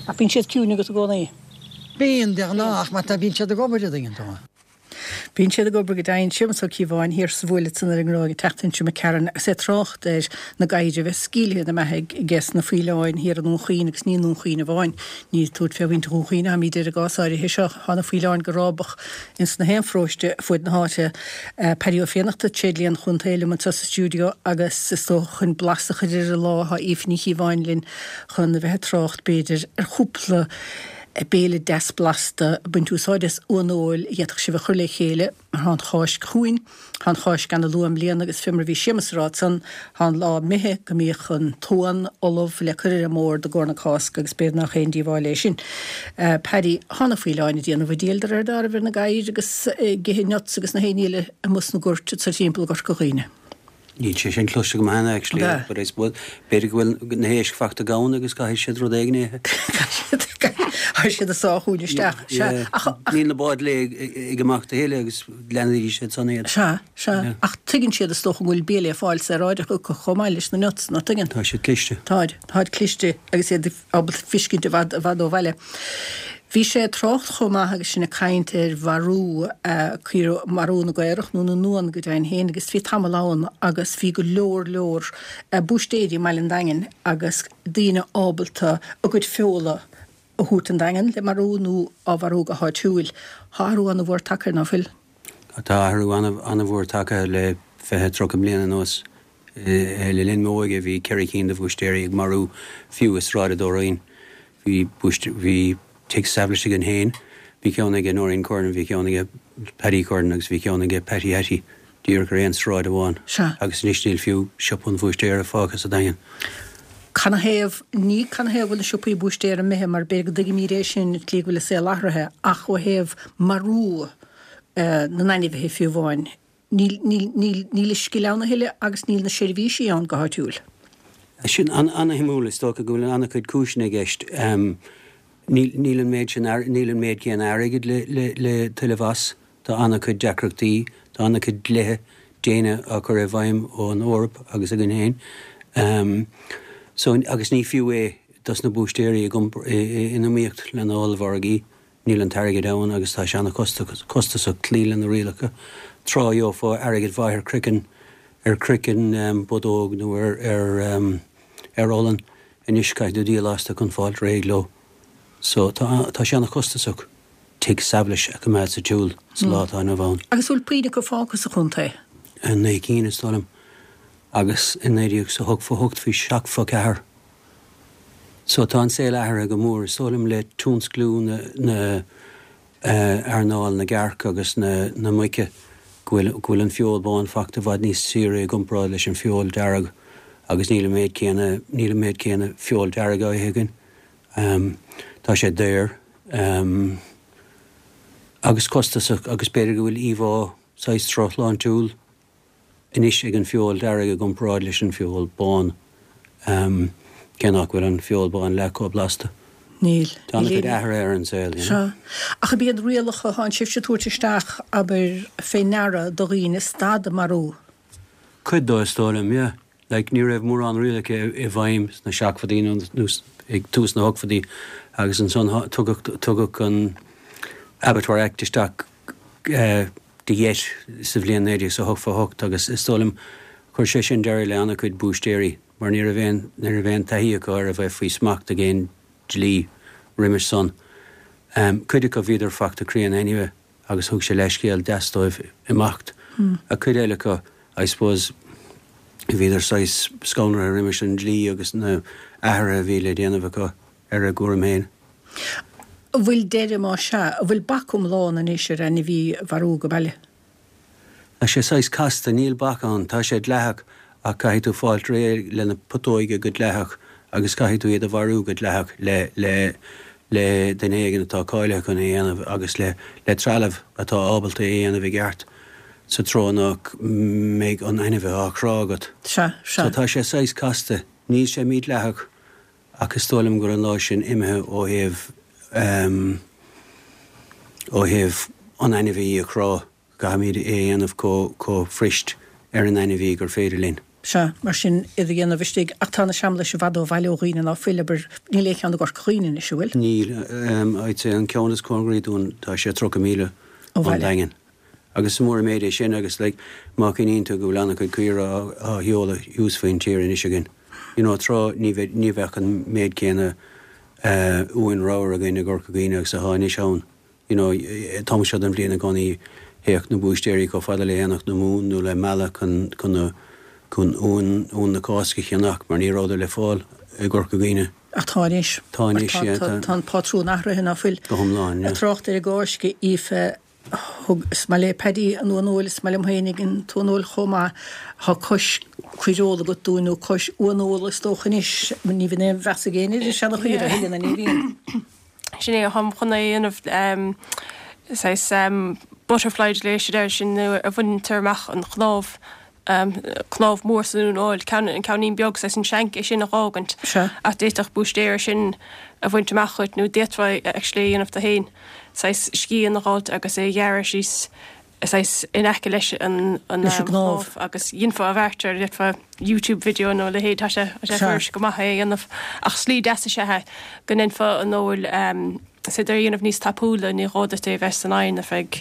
A: Ach bíonn siad ciúin agat i gcónaí?
D: Bíonn, de ghnáth, ach má tá, bíonn siad ag obair, a dtuigeann tú.
A: Bíonn siad ag obair go deimhin. Séamus Ó Cíobháin thiar sa bhuaile ansan ar an nGráig an tseachtain seo imigh tharainn agus é ag trácht ar na gadhair a bheith scaoilthe ina mbeathaidh aige sna faoileáin thiar i nDún Chaoin agus ní i nDún Chaoin amháin. Ní ag tabhairt fé mhuintir Dhún Chaoin atáimid ar an gcás áirithe seo. Tá na faoileáin go rábach ins na haon pharóiste fuaid na háite. Paddy Ó Fiannachta, tréidlia an chontae liom anseo sa stiúideo agus is dócha chun blas a chur ar an lá tá Aoife Ní Chíobháin linn chun a bheith ag trácht b'fhéidir ar chúpla béile deas blasta ag baint úsáid as uan fheoil a d'fhéadfadh sibh a chur le chéile. Tá an Cháisc chugainn. Tá an Cháisc ana luath i mbliana agus fé mar a bhí Séamus a rá ansan, tá an lá imithe go mbíodh an t-uan ullamh le cur ar an mbord i gcomhair na Cásca agus b'fhéidir nach aon díobháil é sin. Paddy, tá na faoileáin ag déanamh a dtriail de réir dealraimh ar na gadhair agus ag ithe nuts agus na haon ní eile amuigh sna goirt anso timpeall i gCorca Dhuibhne.
C: Níl sé sin cloiste agam cheana actually but I suppose b'fhéidir go bhfuil na héisc fachta gann agus caithfidh siad rud éigin a
A: ithe. Caithfidh siad a sá chugainn isteach.
C: Sea. Ach níl na báid lae ag imeacht a thuilleadh agus leanfaidís iad san
A: iad. Sea, sea. Ach tuigeann siad is dócha go bhfuil bia le fáil saoráideach acu chomh maith leis na nuts, nach dtuigeann?
C: Tá siad cliste.
A: Táid, táid cliste agus iad ábalta fiscint i bhfad, i bhfad ó bhaile. Bhí sé ag trácht chomh maith agus sinn ag caint ar mharú, caora, marú na gcaorach nó na n-uan go deimhin féin agus bhí tamall ann agus bhí go leor leor búistéirí i mbaile an Daingin agus daoine ábalta a gcuid feola a thabhairt an Daingean le marú nó á mharú go háitiúil. Tá athrú ana-mhór tagtha air, ná fuil?
C: Tá athrú ana-mhór tagtha le 20, 30 bliain anuas. Le linn m'óige bhí ceithre cinn de bhúistéirí ag marú fiú i Sráid an Dúroinn. Bhí bhí tigh Sabhlais againn féin, bhí ceann aige Noreen Curran, bhí ceann aige Paddy Curran agus bhí ceann aige Patty Hattie, díreach ar aon sráid amháin.
A: Sea.
C: Agus anois níl fiú siopa an bhúistéara fágtha sa Daingean.
A: Canathaobh, ní canathaobh go bhfuil na siopaí búistéara imithe mar b'fhéidir go dtuigimíd é sin, tslí go bhfuil an saol athraithe, ach ó thaobh marú na n-ainmhithe fiú amháin, Níl, níl, níl, níl an scil ann a thuilleadh agus níl na seirbhísí ann go háitiúil.
C: Sin an-shuimiúil. Is dócha go bhfuil an-chuid cúiseanna i gceist. Níl, níl an méid sin, níl an méid céanna airgid le, le, le tuilleamh as. Tá an-chuid deacrachtaí, tá an-chuid dlíthe déine á cur i bhfeidhm ón Eoraip agus againn féin. So, agus ní fiú é dos na búistéirí ag iompar, in iomaíocht le na hollmhargaí. Níl an t-airgead ann agus tá sé an-chostasach cloí le na rialacha. Tráth gheofá airgead mhaith ar chroiceann, ar chroiceann bodóg nó ar, ar, ar olann. Anois caithfidh tú díol astu chun fáilt réidh leo. So tá, tá sé an-chostasach tigh Sabhlais a choimeád sa tsiúl sa lá atá inniu ann.
A: Agus bhfuil puinn acu fágtha sa chontae?
C: 9 cinn is dóigh liom. Agus i 1988 bhí 74. So tá an saol athraithe go mór, is dóigh liom, le tionsclú na, na earnáil na gcearc agus na, na muice, go bhfuil, go bhfuil an feoil bán fachta i bhfad níos saoire i gcomparáid leis an feoil dearg agus níl an méid céanna, níl an méid céanna feoil dearg á ithe againn. Tá sé daor agus costasach agus b'fhéidir go bhfuil íomhá saghas drochshláintiúil anois ag an feoil dearg i gcomparáid leis an feoil bán, cé nach bhfuil an feoil bán leath chomh blasta.
A: Níl.
C: Tá an-chuid athraithe ar an saol, you
A: know. Sea. Ach ab iad rialacha a thánn sibhse a tabhairt isteach, abair, fé ndeara do dhaoine stad ag marú?
C: Cuid dó, is dóigh liom, yeah. Like, ní raibh mórán rialacha i bhfeidhm sna seachmadaí nó ag tús na hochmadaí agus ansan tugadh, tugadh an.
E: Abattoir Act isteach de gheit sa bhliain 1988 agus is dóigh liom chuir sé sin deireadh le an-chuid búistéirí mar ní raibh aon ní raibh aon taithí acu ar a bheith faoi smacht ag aon dlí roimis san. Cuid acu bhíodar fachta críonna anyway agus thug sé leithscéal deas dóibh imeacht. Ach cuid eile acu I suppose bhíodar saghas scanraithe roimis an dlí agus na athruithe a bhí le déanamh acu ar a gcúram féin.
A: An bhfuil deireadh, más ea, an bhfuil bac iomlán anois ar ainmhí a mharú go baile?
E: Tá sé saghas casta, níl bac ann, tá sé dleathach ach caithfidh tú fáilt réidh le na putóga go dleathach agus caithfidh tú iad a mharú go dleathach le le le duine éigin atá cáilithe chun é a dhéanamh agus le le trealamh atá ábalta é a dhéanamh i gceart sa treo nach mbeidh an ainmhí á chrá agat.
A: Sea, sea.
E: So tá sé saghas casta, níl sé mídhleathach Ach is dóigh liom go bhfuil an lá sin imithe ó thaobh ó thaobh an ainmhí a chrá. Caithfimid é a dhéanamh chomh chomh fuirist ar an ainmhí gur féidir linn.
A: Sea, mar sin, iad a dhéanamh istigh. Ach tá na seamlais i bhfad ó bhaile ó dhaoine ná fuil, abair, níl aon cheann i gCorca Dhuibhne anois, an bhfuil?
E: Níl. I'd say an ceann is cóngaraí dúinn, tá sé 30 míle
A: Ó
E: ón
A: bhaile.
E: Daingean. Agus is mór an méid é sin agus like má chuimhníonn tú go bhfuil an-chuid caora á sheoladh thuas faoin tír anois againn. You know tráth ní bheidh, ní bheadh an méid céanna eh uain ramhar againn i gCorca Dhuibhne agus atá anois ann. You know an t-am seo den bhliain i gcónaí théadh na búistéirí chomh fada le hAonach na Mumhan nó le Mala chun, chun na, chun uan, uan na Cásca a cheannach mar ní rabhadar le fáil i gCorca Dhuibhne.
A: Ach tá anois.
E: Tá anois, yeah,
A: tá. Tá an pátrún athraithe ná fuil?
E: Go hiomlán, yeah.
A: Ag trácht ar an gCáisc, Aoife, Thug, is maith le Paddy an uaineoil, is maith liom féinig an t-uaineoil chomh maith. Tá cois caoireola agat dúinn, nó cois uaineola is dócha anois, ní bhíonn aon mheas ag éinne ar an seana-chaora a thuilleadh, ná ní bhíonn.
F: Sin é, táim chun é a dhéanamh, saghas butterfly glaise air sin nuair a bhaintear amach an chnámh cnámh mór san uaineoil, ceann, an ceainnín beag, saghas an shank, é sin a dh'fhágaint.
A: Sea.
F: Ach d'fhéadfadh búistéir é sin a bhaint amach dhuit nó d'fhéadfá actually é a dhéanamh tú féin, saghas scian a dh'fháilt agus é a ghearradh síos saghas in aice leis an, an
A: Leis an gcnámh.
F: chnámh agus dhéanfá a bheart air, d'fhéadfá YouTube video nó a leithéid, tá sé, tá sé
A: Sea.
F: fuirist go maith é a dhéanamh. Ach slí deas is ea é go ndéanfá an fheoil, Is féidir é a dhéanamh níos tapúla, ní gá duit é a bheith san oigheann ar feadh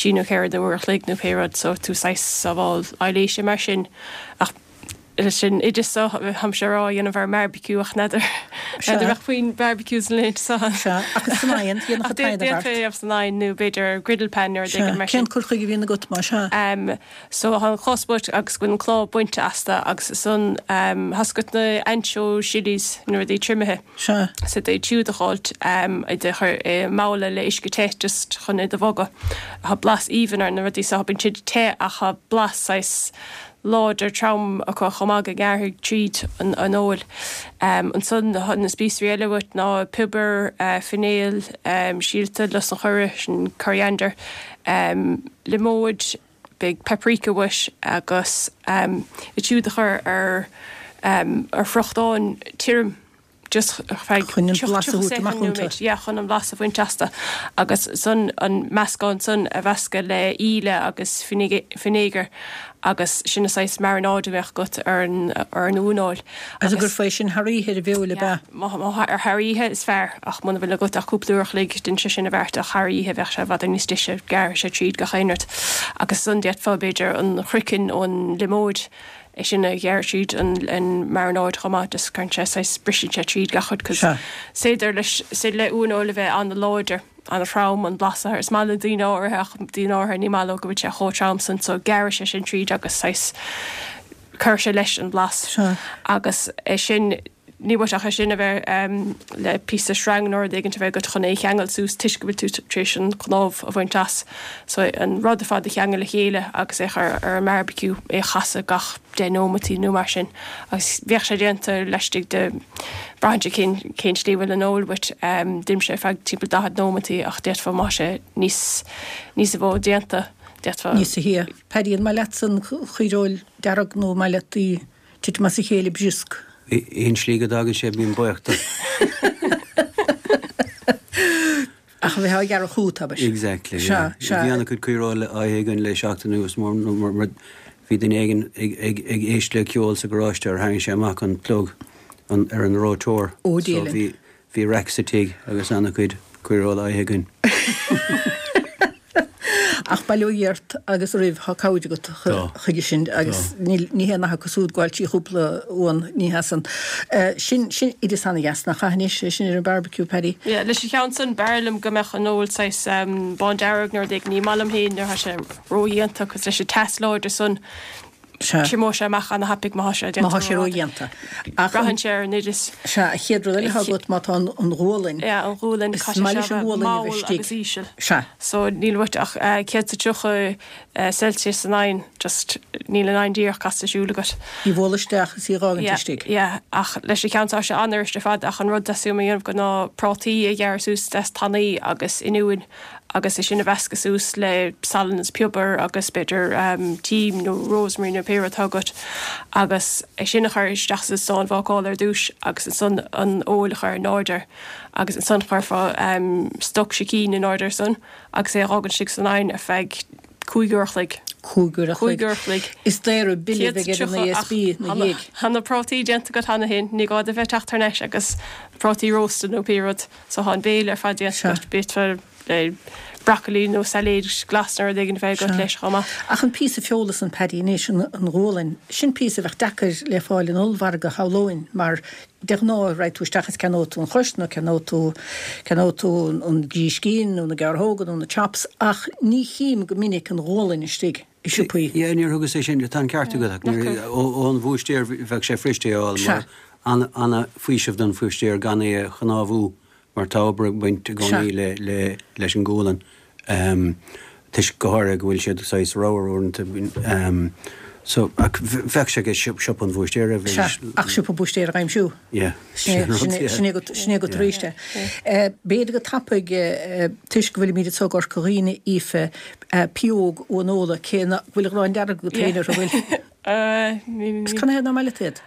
F: trí nó ceithre nó uair a chloig nó pé rud, so tú saghas sábháil aibhléise mar sin. Ach leis an oideas seo, táimse ag rá a dhéanamh ar an mbearbaiciú ach n'fheadar, n'fheadar an mbeadh puinn barbecues na laethanta seo.
A: Sea, ach is san oigheann, dhéanfadh
F: Ach
A: an t-oigheann a
F: d'fhéadfaí é a
A: bheart.
F: dhéanamh san oigheann nó b'fhéidir ar griddle pan nó rud
A: Sea,
F: éigin mar sin.
A: cén cur chuige a bhíonn agat más ea?
F: So tá an chos bainte agus go bhfuil an cnámh bainte astu agus ansan tá's agat na ancho chillies, na rudaí triomaithe.
A: Sea.
F: So iad siúd a dh'fháilt, iad a chur i mbabhla le uisce te just chun iad a bhogadh. Tá blas aoibhinn ar na rudaí so, bíonn siad te ach tá blas saghas láidir trom acu chomh maith go ngearrfaidh tríd an fheoil. Ansan tá na spíosraí eile uait ná piobar, finéal, síolta lus an choire, sin coriander, liomóid, beidh paprika uait agus iad siúd a chur ar ar friochtán tirim just ar feadh
A: Chun an blas a thabhairt amach iontu.
F: Yeah, chun an blas a bhaint astu agus san an meascán san a mheascadh le íle agus vinegar agus sin an saghas marinade a bheadh agat ar an ar an uaineoil.
A: Agus an gcuirfeá é sin thar oíche ar an bhfeoil ab ea?
F: Má ar thar oíche is fearr ach muna bhfuil agat ach cúpla uair a chloig déan sé sin i bheart ach thar oíche bheadh sé i bhfad níos deise, gearrfaidh sé tríd gach aon rud. Agus ansan d'fhéadfá b'fhéidir an craiceann ón liomóid, é sin a ghearradh tríd an an marinade chomh maith just cuireann sé saghas briseann sé tríd gach rud 'cause
A: Sea.
F: is féidir leis is féidir le uaineoil a bheith an-láidir, an-throm an blas air. Is maith le daoine áirithe ach daoine áirithe ní maith leo go bhfuil sé chomh trom san so gearrfaidh sé sin tríd agus saghas cuirfidh sé leis an blas.
A: Sea.
F: Agus é sin Ní uait ach é sin a bheith le píosa sreang nó rud éigin a bheith agat chun é a cheangal suas toisc go bhfuil tú tar éis an chnámh a bhaint as. So an rud ar fad a cheangal le chéile agus é a chur ar an mbearbaiciú, é a chasadh gach deich nóimeataí nó mar sin agus bheadh sé déanta laistigh de, braitheann sé cén cén slí a bhfuil an fheoil uait, deinimse ar feadh timpeall 40 nóimeataí ach d'fhéadfá má tá sé níos níos mó déanta, d'fhéadfá.
A: Níos sia. Paddy, an maith leatsa an chaoireoil dearg nó an maith leat í Titim as a chéile briosc.
E: Aon slí go dtagann sé bím buíoch de.
A: Ach a bheith á ghearradh chugat, abair.
E: Exactly,
A: yeah. Sea, sea.
E: Bhí an-chuid caoireoil á ithe againn le seachtain anuas mar mar bhí duine éigin ag ag ag éist le ceol sa gharáiste ar tharraing sé amach an plug an ar an reoiteoir.
A: Ó, Dia
E: So
A: linn.
E: bhí bhí raic sa tigh agus an-chuid caoireoil á ithe againn.
A: Ach bail ó Dhia ort agus oraibh, tá cabhair agat chuige sin agus ní haon nath acu súd gabháil trí chúpla uan, ní hea san. Sin, sin oideas ana-dheas nach ea anois, é sin ar an barbecue, Paddy?
F: Yeah, leis an cheann san, b'fhearr liom go mbeadh an fheoil saghas bándearg nó rud éigin, ní maith liom féin nuair atá sé ródhéanta 'cause leis an teas láidir san,
A: Sea.
F: Triomóidh sé amach ana-thapaidh má tá sé
A: déanta. Má tá sé ródhéanta.
F: Ach. Braitheann sé ar an oideas.
A: Sea, an chéad rud eile atá agat má tá an ghualainn.
F: Yeah, an ghualainn,
A: Is maith leis an ghualainn a bheith
F: mall
A: istigh.
F: agus íseal.
A: Sea.
F: So níl uait ach 130 Celsius san oigheann, just níl an oigheann díreach casta siúl agat.
A: Í bhualadh isteach is í dh'fhágaint
F: Yeah,
A: istigh.
F: yeah, ach leis an cheann seo tá sé an-fhuirist ar fad ach an rud a theastaíonn uaim a dhéanamh go ná prátaí a ghearradh suas deas tanaí agus oinniúin agus é sin a mheascadh suas le salann is piobar agus b'fhéidir tím nó rosemary nó pé rud atá agat agus é sin a chur isteach sa stán bhácála ar dtús agus ansan an fheoil a chur in airde air agus ansan chuirfeá stoc sicín in airde air san agus é a dh'fhágaint istigh san oigheann ar feadh 5 uair a chloig.
A: 5 uair a
F: chloig. 5 uair a chloig.
A: Is daor bille a bheidh ar an ESB ina dhiaidh.
F: Tá na prátaí déanta agat cheana féin, ní gá duit bheith ag teacht thar n-ais agus prátaí rósta nó pé rud. So tá an béile ar fad déanta agat, b'fhéidir le broccoli nó sailéid glas nó rud éigin a bheith agat leis chomh maith.
A: Ach an píosa feola san, Paddy, anois, an ghualainn, sin píosa a bheadh deacair le fáil in ollmhargadh, shamhlóinn, mar de ghnáth raghaidh tú isteach is ceannóidh tú an chois nó ceannóidh tú, ceannóidh tú an gríscín nó na gearrthóga nó na chops ach ní chím go minic an ghualainn istigh i siopaí.
E: Yeah, níor thugas é sin, tá an ceart agat ach níor, ón bhúistéir bheadh sé fuirist é a fháil mar ana-fhaoiseamh don bhúistéir gan é a chnámhú mar tá obair ag baint i gcónaí le, le, leis an ghualainn toisc go háirithe go bhfuil siad saghas ramhar uaireanta so ach bheadh sé ag siopa an bhúistéara
A: Sea, ach siopa búistéara a aimsiú.
E: Yeah, sin
A: an rud, yeah. Sin é go, sin é go tar éis de. B'fhéidir go tapaidh toisc go bhfuilimid anseo i gCorca Dhuibhne, Aoife, pióg ón ola, cé nach bhfuil gráin dearg agat féin orthu, an bhfuil? Is canathaobh nach maith leat iad?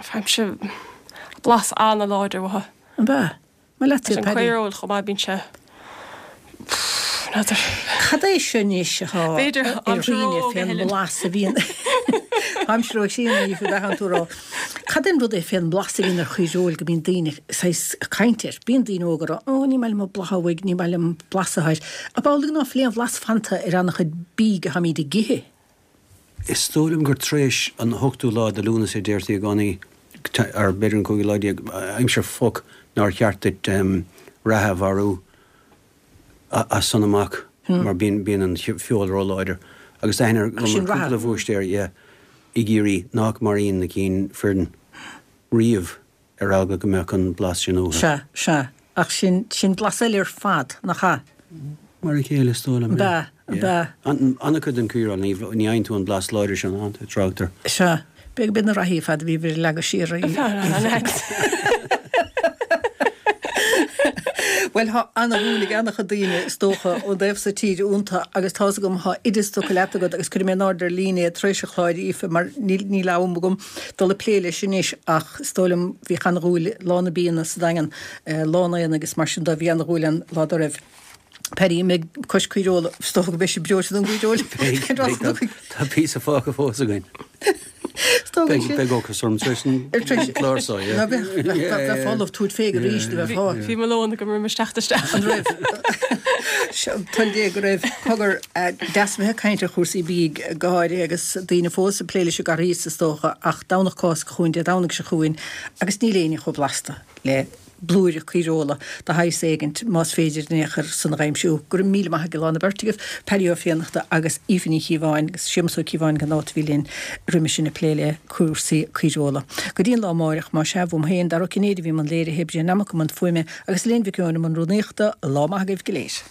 F: Faighimse blas an-láidir uathu.
A: An ea? Maith leat iad,
F: An
A: Paddy.
F: caoireoil chomh maith, bíonn sé, n'fheadar.
A: Cad é seo anois atá ar
F: B'fhéidir aimsir
A: dhaoine
F: óg a
A: fén
F: Helen.
A: mblas a bhíonn Aimsir óg sin, a Aoife, beatha an tú a rá. Cad é an rud é fén mblas a bhíonn ar chaoireoil go mbíonn daoine saghas ag caint air? Bíonn daoine óga ag rá, Ó, ní maith liom an blas uaidh, ní maith liom an blas atá air. Ab amhlaidh ná fuil aon bhlas fanta ar an-chuid bídh atháimíd ag ithe?
E: Is dóigh liom gur tar éis an ochtú lá de Lúnasa a deirtí i gcónaí, or b'fhéidir an cúigiú lá déag, aimsir phuc, nár cheart duit reithe a mharú as san amach mar bíonn bíonn an feoil róláidir. Agus tá aithne agam ar cúpla bhúistéir, yeah, i gCiarraí nách maraíonn na cinn fireann riamh. ar eagla go mbeadh an blas sin uathu.
A: Sea, sea. Ach sin, sin blas eile ar fad, nach ea?
E: Mar a chéile, is dóigh liom.
A: Ab ea, ab ea.
E: An-chuid den chaoireoil, ní, ní fhaigheann tú an blas láidir sin ann, tráchtar.
A: Sea. B'fhéidir go mb'iad na reithí ar fad a bhí ag leagadh siar í. Bhuel, tá ana-dhúil ag ana-chuid daoine, is dócha, ón dtaobh so tíre iontu agus tá's agam, tá oideas tugtha leat agat agus cuirfidh mé in airde ar líne é tar éis an chláir, Aoife, mar níl, níl am agam. dul ag plé leis anois ach is dóigh liom bhíodh ana-dhúil lá na bianna sa Daingean, lá an aonaigh agus mar sin de bhí ana-dhúil ann lá dá raibh. Paddy, an mbeidh cois caoireola, is dócha go mbeidh sibh breoite don gcaoireoil.
E: Beidh, tá píosa fágtha fós againn.
A: Is dóigh
E: Beidh, beidh ocras orm tar éis an chlár seo, yeah.
A: Ná beidh, bheith folamh tabhairt féig arís, a bheith fá.
F: Bhí mo lón agam roimh isteach isteach.
A: An raibh? Toil Dé go raibh. Cogar, deas a bheith ag caint ar chúrsaí bídh go háirithe agus daoine fós ag plé leis an gCarghas is dócha ach Domhnach Cásca chugainn, Dé Domhnaigh seo chugainn agus níl éinne chomh blasta le blúire caoireola de shaghas éigint más féidir in aon chor san a dh'aimsiú. Go raibh míle maith ag an bheirt agaibh, Paddy Ó Fiannachta agus Aoife Ní Chíobháin agus Séamus Ó Cíobháin gan dabht a bhí linn roimhe sin ag plé le cúrsaí caoireola. Go dtí an lá amáireach, más ea, uaim féin, Dara Ó Cinnéide a bhí i mbun léirithe, Brian Nammock i mbun fuaime agus Elaine Mhic Eoin i mbun rúnaíochta, lá maith agaibh go léir.